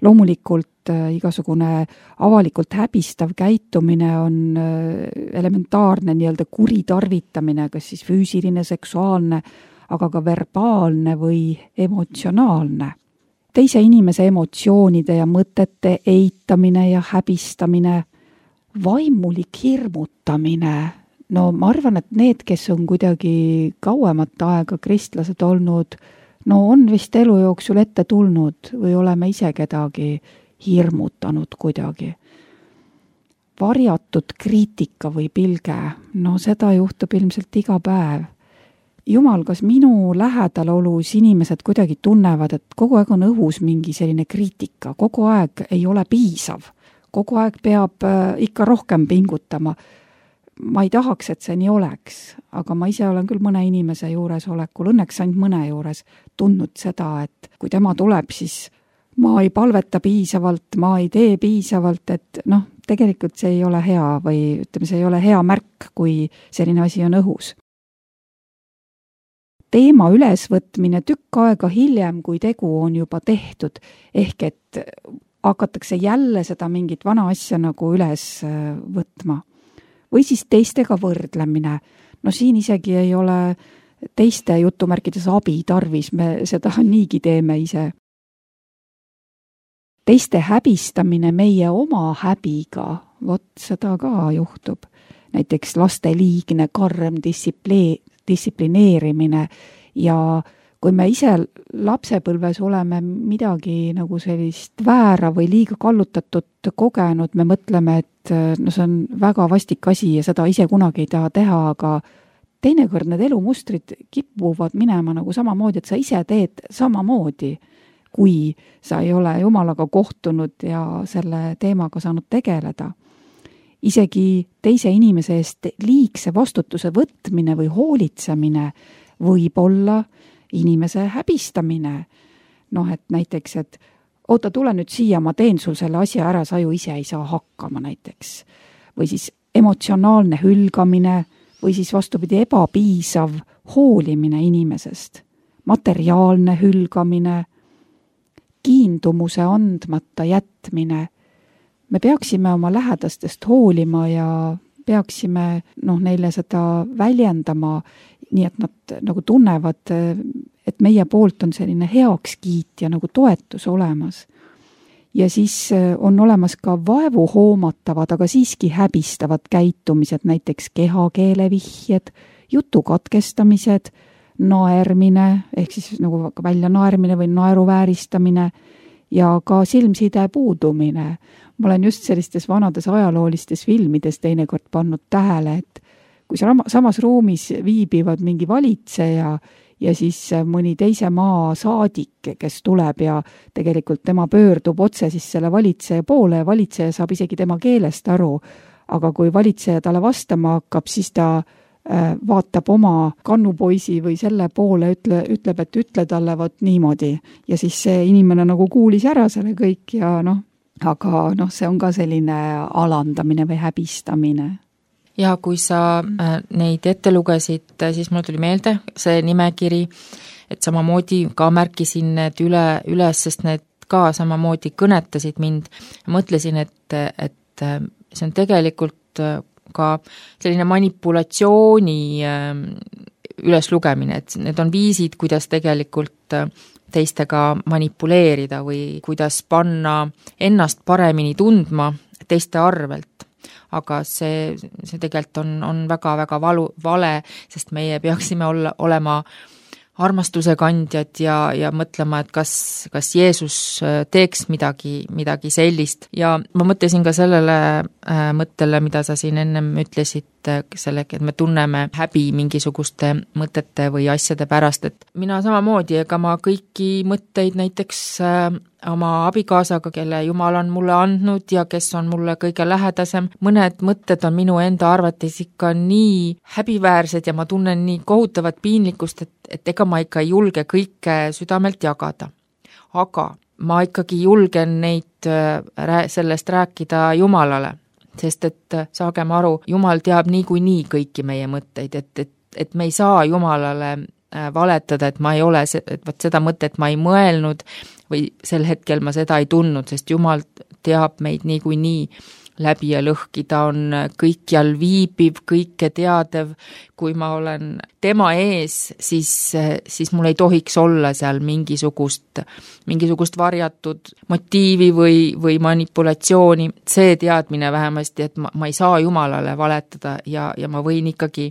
Loomulikult igasugune avalikult häbistav käitumine on elementaarne nii-öelda kuritarvitamine, kas siis füüsiline, seksuaalne, aga ka verbaalne või emotsionaalne. Teise inimese emotsioonide ja mõtete eitamine ja häbistamine, vaimulik hirmutamine. No ma arvan, et need, kes on kuidagi kauemat aega kristlased olnud, no on vist elu jooksul ette tulnud või oleme ise kedagi hirmutanud kuidagi. Varjatud kriitika või pilge, no seda juhtub ilmselt iga päev. Jumal, kas minu lähedalolus inimesed kuidagi tunnevad, et kogu aeg on õhus mingi selline kriitika, kogu aeg ei ole piisav, kogu aeg peab ikka rohkem pingutama. Ma ei tahaks, et see nii oleks, aga ma ise olen küll mõne inimese juures olekul, õnneks ainult mõne juures tundnud seda, et kui tema tuleb, siis ma ei palveta piisavalt, ma ei tee piisavalt, et noh, tegelikult see ei ole hea või ütleme, see ei ole hea märk, kui selline asi on õhus. Teema ülesvõtmine tükk aega hiljem, kui tegu on juba tehtud, ehk et hakatakse jälle seda mingit vana asja nagu üles võtma. Või siis teistega võrdlemine. No siin isegi ei ole teiste jutumärkides abi tarvis, me seda niigi teeme ise. Teiste häbistamine meie oma häbiga, vot seda ka juhtub. Näiteks laste liigne karm distsipli- distsiplineerimine ja kui me ise lapsepõlves oleme midagi nagu sellist väära või liiga kallutatud kogenud, me mõtleme, et no see on väga vastik asi ja seda ise kunagi ei taha teha, aga teinekord need elumustrid kipuvad minema nagu samamoodi, et sa ise teed samamoodi, kui sa ei ole Jumalaga kohtunud ja selle teemaga saanud tegeleda. Isegi teise inimese eest liigse vastutuse võtmine või hoolitsemine võib olla inimese häbistamine. Noh, et näiteks, et oota, tule nüüd siia, ma teen sul selle asja ära, sa ju ise ei saa hakkama näiteks. Või siis emotsionaalne hülgamine või siis vastupidi ebapiisav hoolimine inimesest. Materiaalne hülgamine, kiindumuse andmata jätmine. Me peaksime oma lähedastest hoolima ja peaksime noh, neile seda väljendama, nii et nad nagu tunnevad, et meie poolt on selline heakskiit ja nagu toetus olemas. Ja siis on olemas ka vaevu hoomatavad, aga siiski häbistavad käitumised, näiteks kehakeele vihjed, jutu katkestamised, naermine, ehk siis nagu välja naermine või naeru vääristamine ja ka silmside puudumine. Ma olen just sellistes vanades ajaloolistes filmides teinekord pannud tähele, et kui samas ruumis viibivad mingi valitseja ja siis mõni teise maa saadik, kes tuleb ja tegelikult tema pöördub otse siis selle valitseja poole ja valitseja saab isegi tema keelest aru, aga kui valitseja talle vastama hakkab, siis ta vaatab oma kannupoisi või selle poole, ütle, ütleb, et ütle talle vot niimoodi ja siis see inimene nagu kuulis ära selle kõik ja noh, aga noh, see on ka selline alandamine või häbistamine. Ja kui sa neid ette lugesid, siis mul tuli meelde see nimekiri, et samamoodi ka märkisin need üle, üles, sest need ka samamoodi kõnetasid mind. Mõtlesin, et, et see on tegelikult ka selline manipulatsiooni üleslugemine, et need on viisid, kuidas tegelikult teistega manipuleerida või kuidas panna ennast paremini tundma teiste arvelt. Aga see, see tegelikult on, on väga-väga valu, vale, sest meie peaksime olla, olema armastuse kandjad ja, ja mõtlema, et kas, kas Jeesus teeks midagi, midagi sellist. Ja ma mõtlesin ka sellele äh, mõttele, mida sa siin ennem ütlesid, sellega, et me tunneme häbi mingisuguste mõtete või asjade pärast, et mina samamoodi, ega ma kõiki mõtteid näiteks äh, oma abikaasaga, kelle Jumal on mulle andnud ja kes on mulle kõige lähedasem, mõned mõtted on minu enda arvates ikka nii häbiväärsed ja ma tunnen nii kohutavat piinlikkust, et, et ega ma ikka ei julge kõike südamelt jagada. Aga ma ikkagi julgen neid sellest rääkida Jumalale, sest et saagem aru, Jumal teab niikuinii kõiki meie mõtteid, et, et, et me ei saa Jumalale valetada, et ma ei ole, et võt seda mõtet ma ei mõelnud või sel hetkel ma seda ei tundnud, sest Jumal teab meid niikuinii läbi ja lõhki, ta on kõikjal viibiv, kõike teadev, kui ma olen tema ees, siis, siis mul ei tohiks olla seal mingisugust, mingisugust varjatud motiivi või, või manipulatsiooni, see teadmine vähemasti, et ma, ma ei saa Jumalale valetada ja, ja ma võin ikkagi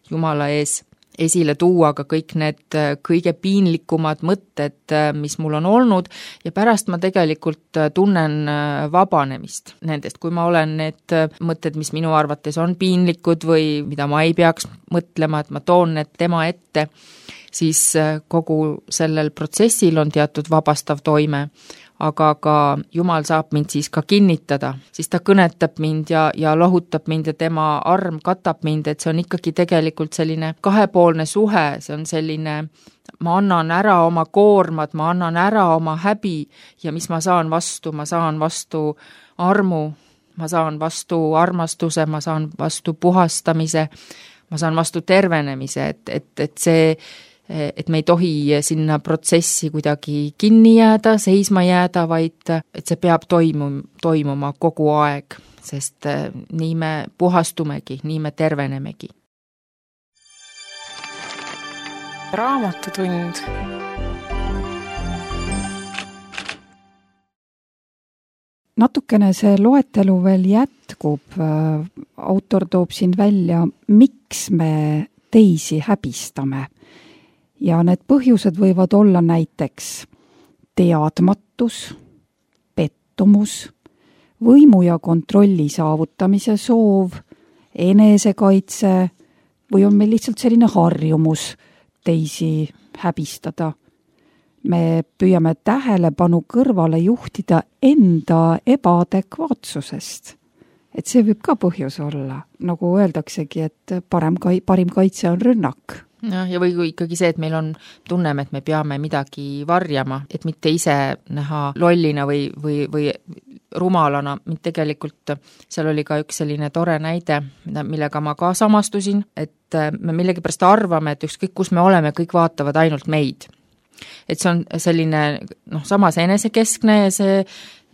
Jumala ees esile tuua ka kõik need kõige piinlikumad mõtted, mis mul on olnud ja pärast ma tegelikult tunnen vabanemist nendest, kui ma olen need mõtted, mis minu arvates on piinlikud või mida ma ei peaks mõtlema, et ma toon need tema ette, siis kogu sellel protsessil on teatud vabastav toime. Aga ka Jumal saab mind siis ka kinnitada, siis ta kõnetab mind ja, ja lohutab mind ja tema arm katab mind, et see on ikkagi tegelikult selline kahepoolne suhe, see on selline, ma annan ära oma koormad, ma annan ära oma häbi ja mis ma saan vastu, ma saan vastu armu, ma saan vastu armastuse, ma saan vastu puhastamise, ma saan vastu tervenemise, et, et, et see et me ei tohi sinna protsessi kuidagi kinni jääda, seisma jääda, vaid et see peab toimuma, toimuma kogu aeg, sest nii me puhastumegi, nii me tervenemegi. Raamatutund. Natukene see loetelu veel jätkub. Autor toob siin välja, miks me teisi häbistame. Ja need põhjused võivad olla näiteks teadmatus, pettumus, võimu ja kontrolli saavutamise soov, enesekaitse või on meil lihtsalt selline harjumus teisi häbistada. Me püüame tähelepanu kõrvale juhtida enda ebaadekvaatsusest. Et see võib ka põhjus olla, nagu öeldaksegi, et parem, parim kaitse on rünnak. Ja, ja või ikkagi see, et meil on, tunneme, et me peame midagi varjama, et mitte ise näha lollina või, või, või rumalana. Tegelikult seal oli ka üks selline tore näide, millega ma ka samastusin, et me millegipärast arvame, et ükskõik kus me oleme, kõik vaatavad ainult meid. Et see on selline noh, samas enesekeskne ja see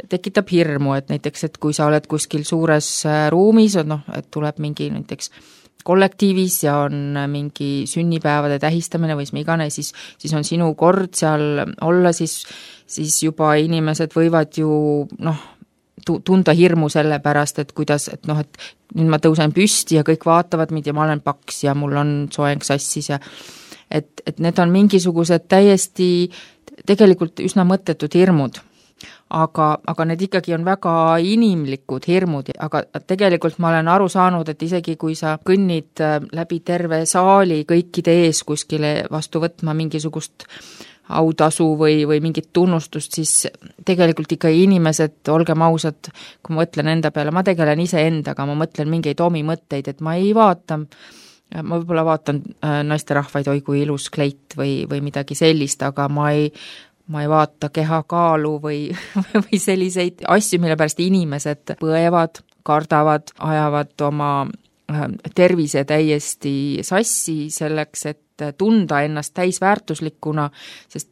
tekitab hirmu, et näiteks, et kui sa oled kuskil suures ruumis, noh, et tuleb mingi näiteks kollektiivis ja on mingi sünnipäevade tähistamine või mis iganes, siis, siis on sinu kord seal olla, siis, siis juba inimesed võivad ju noh, tunda hirmu selle pärast, et kuidas, et noh, et nüüd ma tõusen püsti ja kõik vaatavad mind ja ma olen paks ja mul on soeng sassis ja et, et need on mingisugused täiesti tegelikult üsna mõttetud hirmud. Aga, aga need ikkagi on väga inimlikud hirmud, aga tegelikult ma olen aru saanud, et isegi kui sa kõnnid läbi terve saali kõikide ees kuskile vastu võtma mingisugust autasu või, või mingit tunnustust, siis tegelikult ikka inimesed, olgem ausad, kui ma mõtlen enda peale, ma tegelen ise endaga, ma mõtlen mingeid omi mõtteid, et ma ei vaata, ma võib-olla vaatan naisterahvaid, oi kui ilus kleit või, või midagi sellist, aga ma ei ma ei vaata kehakaalu või, või selliseid asju, mille pärast inimesed põevad, kardavad, ajavad oma tervise täiesti sassi selleks, et tunda ennast täisväärtuslikuna, sest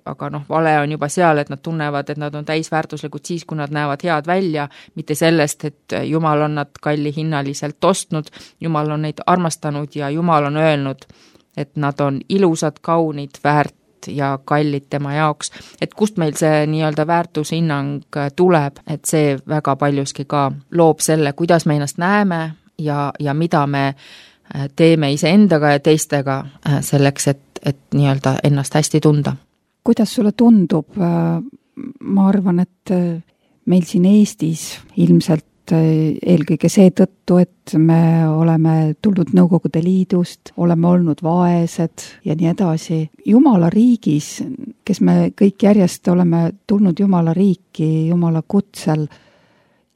aga noh, vale on juba seal, et nad tunnevad, et nad on täisväärtuslikud siis, kui nad näevad head välja, mitte sellest, et Jumal on nad kalli hinnaliselt ostnud, Jumal on neid armastanud ja Jumal on öelnud, et nad on ilusad, kaunid, väärt ja kallid tema jaoks, et kust meil see nii-öelda väärtushinnang tuleb, et see väga paljuski ka loob selle, kuidas me ennast näeme ja, ja mida me teeme iseendaga ja teistega selleks, et, et nii-öelda ennast hästi tunda. Kuidas sulle tundub? Ma arvan, et meil siin Eestis ilmselt eelkõige seetõttu, et me oleme tulnud Nõukogude Liidust, oleme olnud vaesed ja nii edasi. Jumala riigis, kes me kõik järjest oleme tulnud Jumala riiki, Jumala kutsel,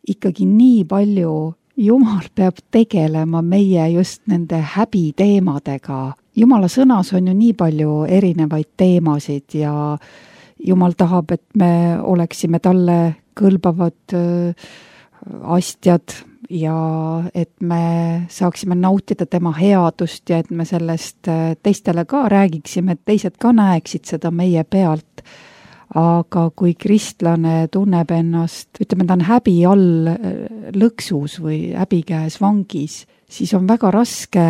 ikkagi nii palju Jumal peab tegelema meie just nende häbiteemadega. Jumala sõnas on ju nii palju erinevaid teemasid ja Jumal tahab, et me oleksime talle kõlbavad astjad ja et me saaksime nautida tema headust ja et me sellest teistele ka räägiksime, et teised ka näeksid seda meie pealt. Aga kui kristlane tunneb ennast, ütleme, ta on häbi all lõksus või häbikäes vangis, siis on väga raske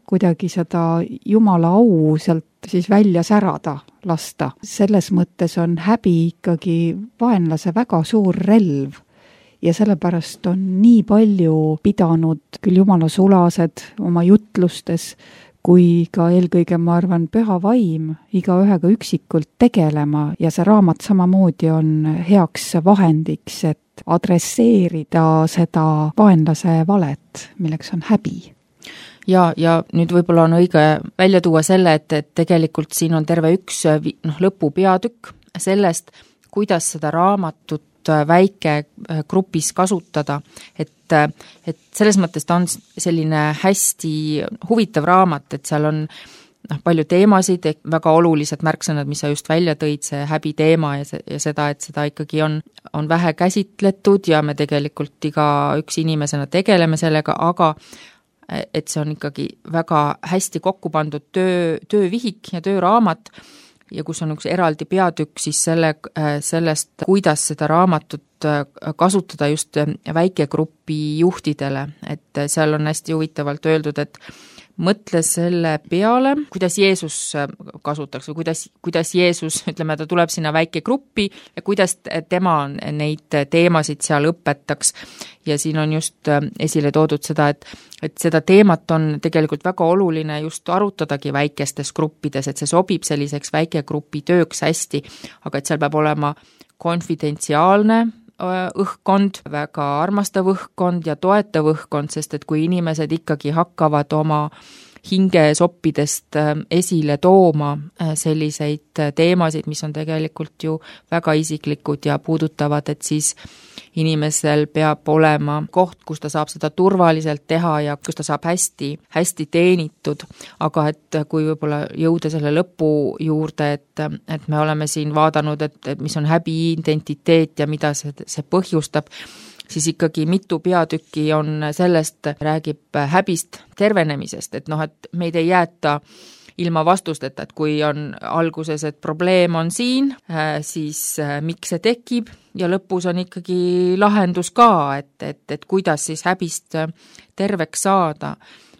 kuidagi seda Jumala au sealt siis välja särada, lasta. Selles mõttes on häbi ikkagi vaenlase väga suur relv. Ja sellepärast on nii palju pidanud küll Jumala sulased oma jutlustes, kui ka eelkõige, ma arvan, püha vaim iga ühega üksikult tegelema ja see raamat samamoodi on heaks vahendiks, et adresseerida seda vaenlase valet, milleks on häbi. Ja, ja nüüd võib-olla on õige välja tuua selle, et, et tegelikult siin on terve üks noh, lõpupeatükk sellest, kuidas seda raamatut väike grupis kasutada, et, et selles mõttes ta on selline hästi huvitav raamat, et seal on noh, palju teemasid, väga olulised märksõnad, mis sa just välja tõid, see häbi teema ja, see, ja seda, et seda ikkagi on, on vähe käsitletud ja me tegelikult iga üks inimesena tegeleme sellega, aga et see on ikkagi väga hästi kokku pandud töö, töövihik ja tööraamat ja kus on üks eraldi peatükk siis selle, sellest, kuidas seda raamatut kasutada just väikegrupi juhtidele, et seal on hästi huvitavalt öeldud, et mõtle selle peale, kuidas Jeesus kasutaks või kuidas, kuidas Jeesus, ütleme, ta tuleb sinna väikegruppi ja kuidas tema neid teemasid seal õpetaks. Ja siin on just esile toodud seda, et, et seda teemat on tegelikult väga oluline just arutadagi väikestes gruppides, et see sobib selliseks väikegrupi tööks hästi, aga et seal peab olema konfidentsiaalne õhkkond, väga armastav õhkkond ja toetav õhkkond, sest et kui inimesed ikkagi hakkavad oma hingesoppidest esile tooma selliseid teemasid, mis on tegelikult ju väga isiklikud ja puudutavad, et siis inimesel peab olema koht, kus ta saab seda turvaliselt teha ja kus ta saab hästi, hästi teenitud, aga et kui võib-olla jõuda selle lõpu juurde, et, et me oleme siin vaadanud, et, et mis on häbi identiteet ja mida see, see põhjustab, siis ikkagi mitu peatükki on sellest, räägib häbist tervenemisest, et noh, et meid ei jäeta ilma vastusteta, et kui on alguses, et probleem on siin, siis miks see tekib ja lõpus on ikkagi lahendus ka, et, et, et kuidas siis häbist terveks saada.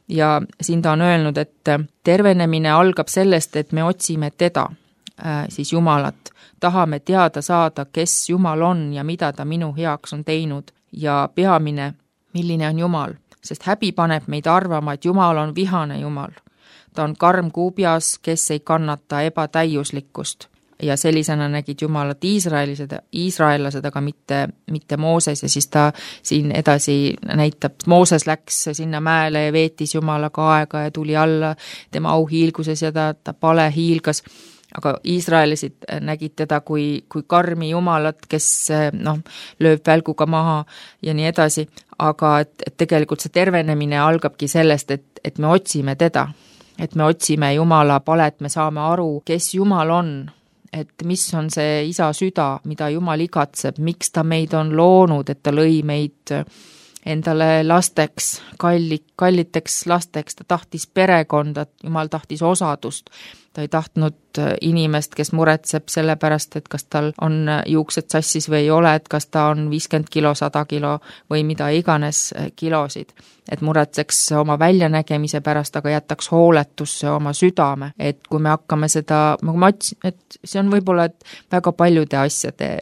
Ja siin ta on öelnud, et tervenemine algab sellest, et me otsime teda, siis Jumalat. Tahame teada saada, kes Jumal on ja mida ta minu heaks on teinud. Ja peamine, milline on Jumal, sest häbi paneb meid arvama, et Jumal on vihane Jumal. Ta on karm kuubjas, kes ei kannata ebatäiuslikkust ja sellisena nägid Jumalat Iisraelised, Iisraellased, aga mitte, mitte Mooses ja siis ta siin edasi näitab, Mooses läks sinna mäele ja veetis Jumalaga aega ja tuli alla tema auhiilguses ja ta, ta pale hiilgas. Aga Iisraelisid nägid teda kui, kui karmi Jumalat, kes noh, lööb välguga maha ja nii edasi, aga et, et tegelikult see tervenemine algabki sellest, et, et me otsime teda, et me otsime Jumala palet, me saame aru, kes Jumal on, et mis on see isa süda, mida Jumal igatseb, miks ta meid on loonud, et ta lõi meid endale lasteks, kalli, kalliteks lasteks, ta tahtis perekonda, Jumal tahtis osadust, ta ei tahtnud inimest, kes muretseb selle pärast, et kas tal on juuksed sassis või ei ole, et kas ta on viiskümmend kilo, sada kilo või mida iganes kilosid, et muretseks oma väljanägemise pärast, aga jätaks hooletusse oma südame, et kui me hakkame seda, ma otsin, et see on võib-olla et väga paljude asjade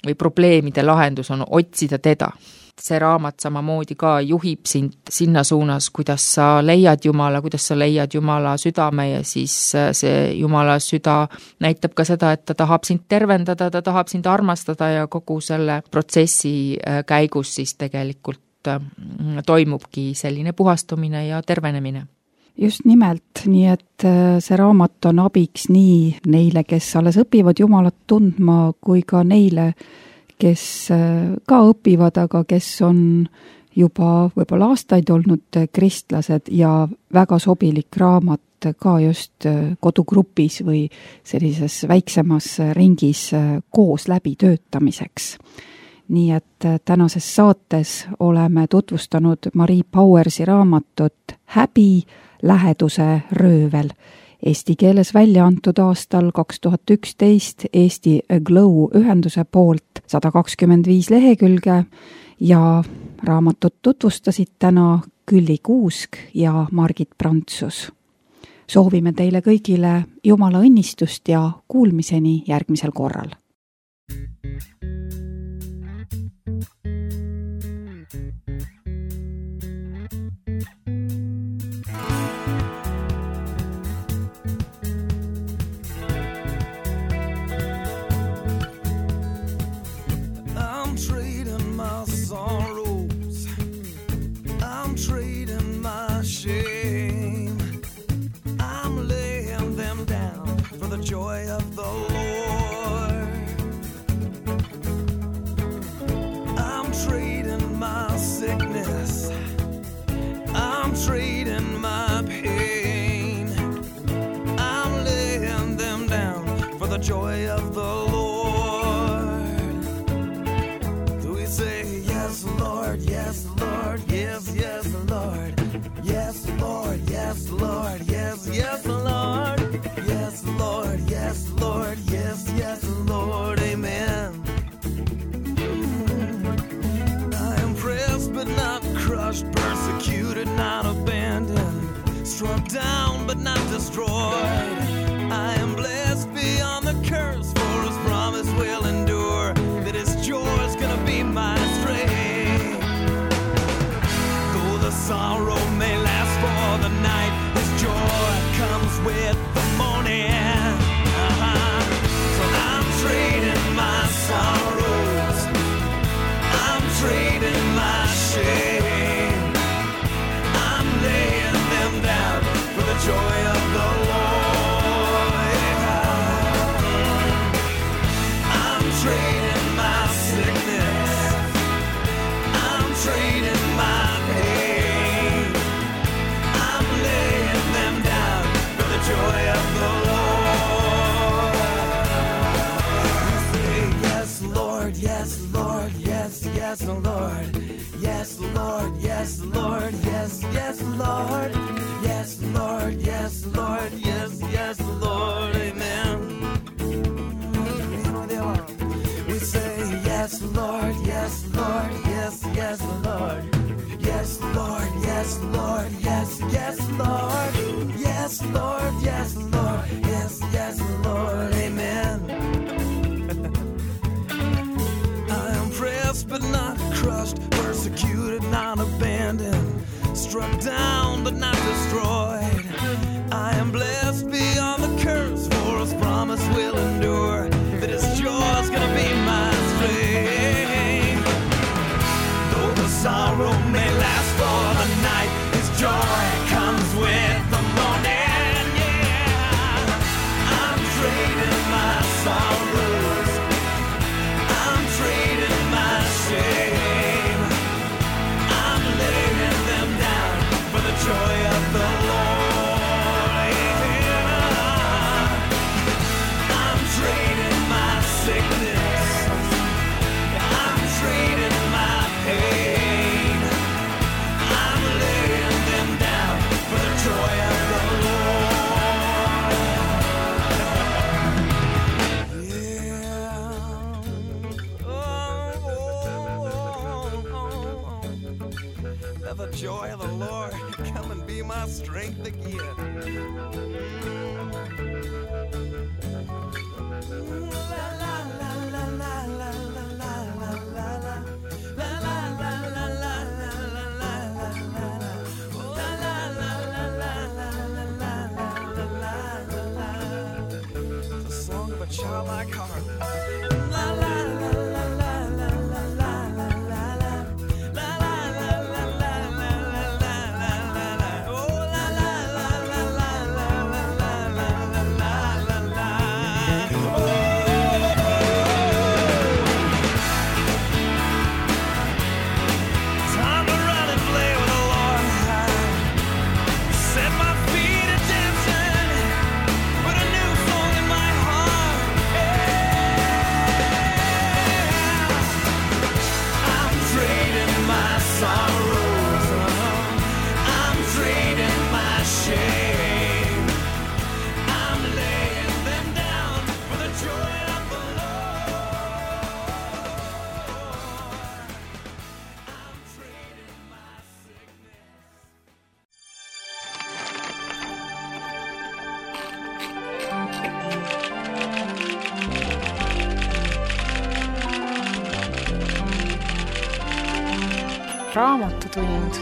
või probleemide lahendus on otsida teda. See raamat samamoodi ka juhib sind sinna suunas, kuidas sa leiad Jumala, kuidas sa leiad Jumala südame ja siis see Jumala süda näitab ka seda, et ta tahab sind tervendada, ta tahab sind armastada ja kogu selle protsessi käigus siis tegelikult toimubki selline puhastumine ja tervenemine. Just nimelt, nii et see raamat on abiks nii neile, kes alles õpivad Jumalat tundma, kui ka neile, kes ka õpivad, aga kes on juba võib-olla aastaid olnud kristlased ja väga sobilik raamat ka just kodugrupis või sellises väiksemas ringis koos läbi töötamiseks. Nii et tänases saates oleme tutvustanud Marie Powersi raamatut Häbi, läheduse röövel. Eesti keeles välja antud aastal kaks tuhat üksteist Eesti Glow ühenduse poolt sada kakskümmend viis lehekülge ja raamatut tutvustasid täna Külli Kuusk ja Margit Prantsus. Soovime teile kõigile Jumala õnnistust ja kuulmiseni järgmisel korral. Joy of the Lord. I'm trading my sickness, I'm trading my pain, I'm laying them down for the joy of the Lord. Do we say yes, Lord, yes, Lord, yes, yes, Lord, yes, Lord, yes, yes, Lord. Yes, Lord, yes, Lord, yes, yes, Lord, amen. I am pressed but not crushed, persecuted, not abandoned, struck down but not destroyed. I am blessed beyond the curse, for his promise will endure, that his joy is gonna be my strength. Though the sorrow may last for the night, his joy comes with the morning. Uh-huh. So I'm trading my sorrows, I'm trading my shame, I'm laying them down for the joy of the Lord. I'm trading my sickness, I'm trading my pain, I'm laying them down for the joy of the Lord. You say, yes, Lord, yes, Lord, yes, yes, Lord. Yes, Lord, yes, Lord, yes, yes, Lord. Yes, Lord, yes, Lord, yes, yes, Lord, amen. We say, yes, Lord, yes, Lord, yes, yes, Lord. Yes, Lord, yes, Lord, yes, yes, Lord. Yes, Lord, yes, Lord, yes, yes, Lord, amen. I am pressed but not crushed, persecuted, not abandoned, struck down but not destroyed. I am blessed beyond the curse, for his promise will endure, that his joy is gonna be my strength. Though the sorrow may last for the night, his joy comes with the morning. Yeah, I'm trading my sorrows, I'm trading my shame, I'm laying them down for the joy of the Lord. Yeah. I'm trading my sickness, I'm trading my pain, I'm laying them down for the joy of the Lord. Yeah. Oh, oh, oh, oh. Let the joy of the Lord come and be my strength again. La la la la la la la la la la la. La la la la la la la la la la la. Oh, la la la la la la la la la la la. It's a song of a childlike heart. La la la la la la la la la la. La la la la la la la la la la. Oh, la la la la la la la la la la la la. Time to run and play with the Lord. Set my feet at dancing, put a new song in my heart. Yeah. I'm trading my sorrows, I'm trading my shame, I'm laying them down for the joy of the Lord. I'm trading my sickness. raamatutund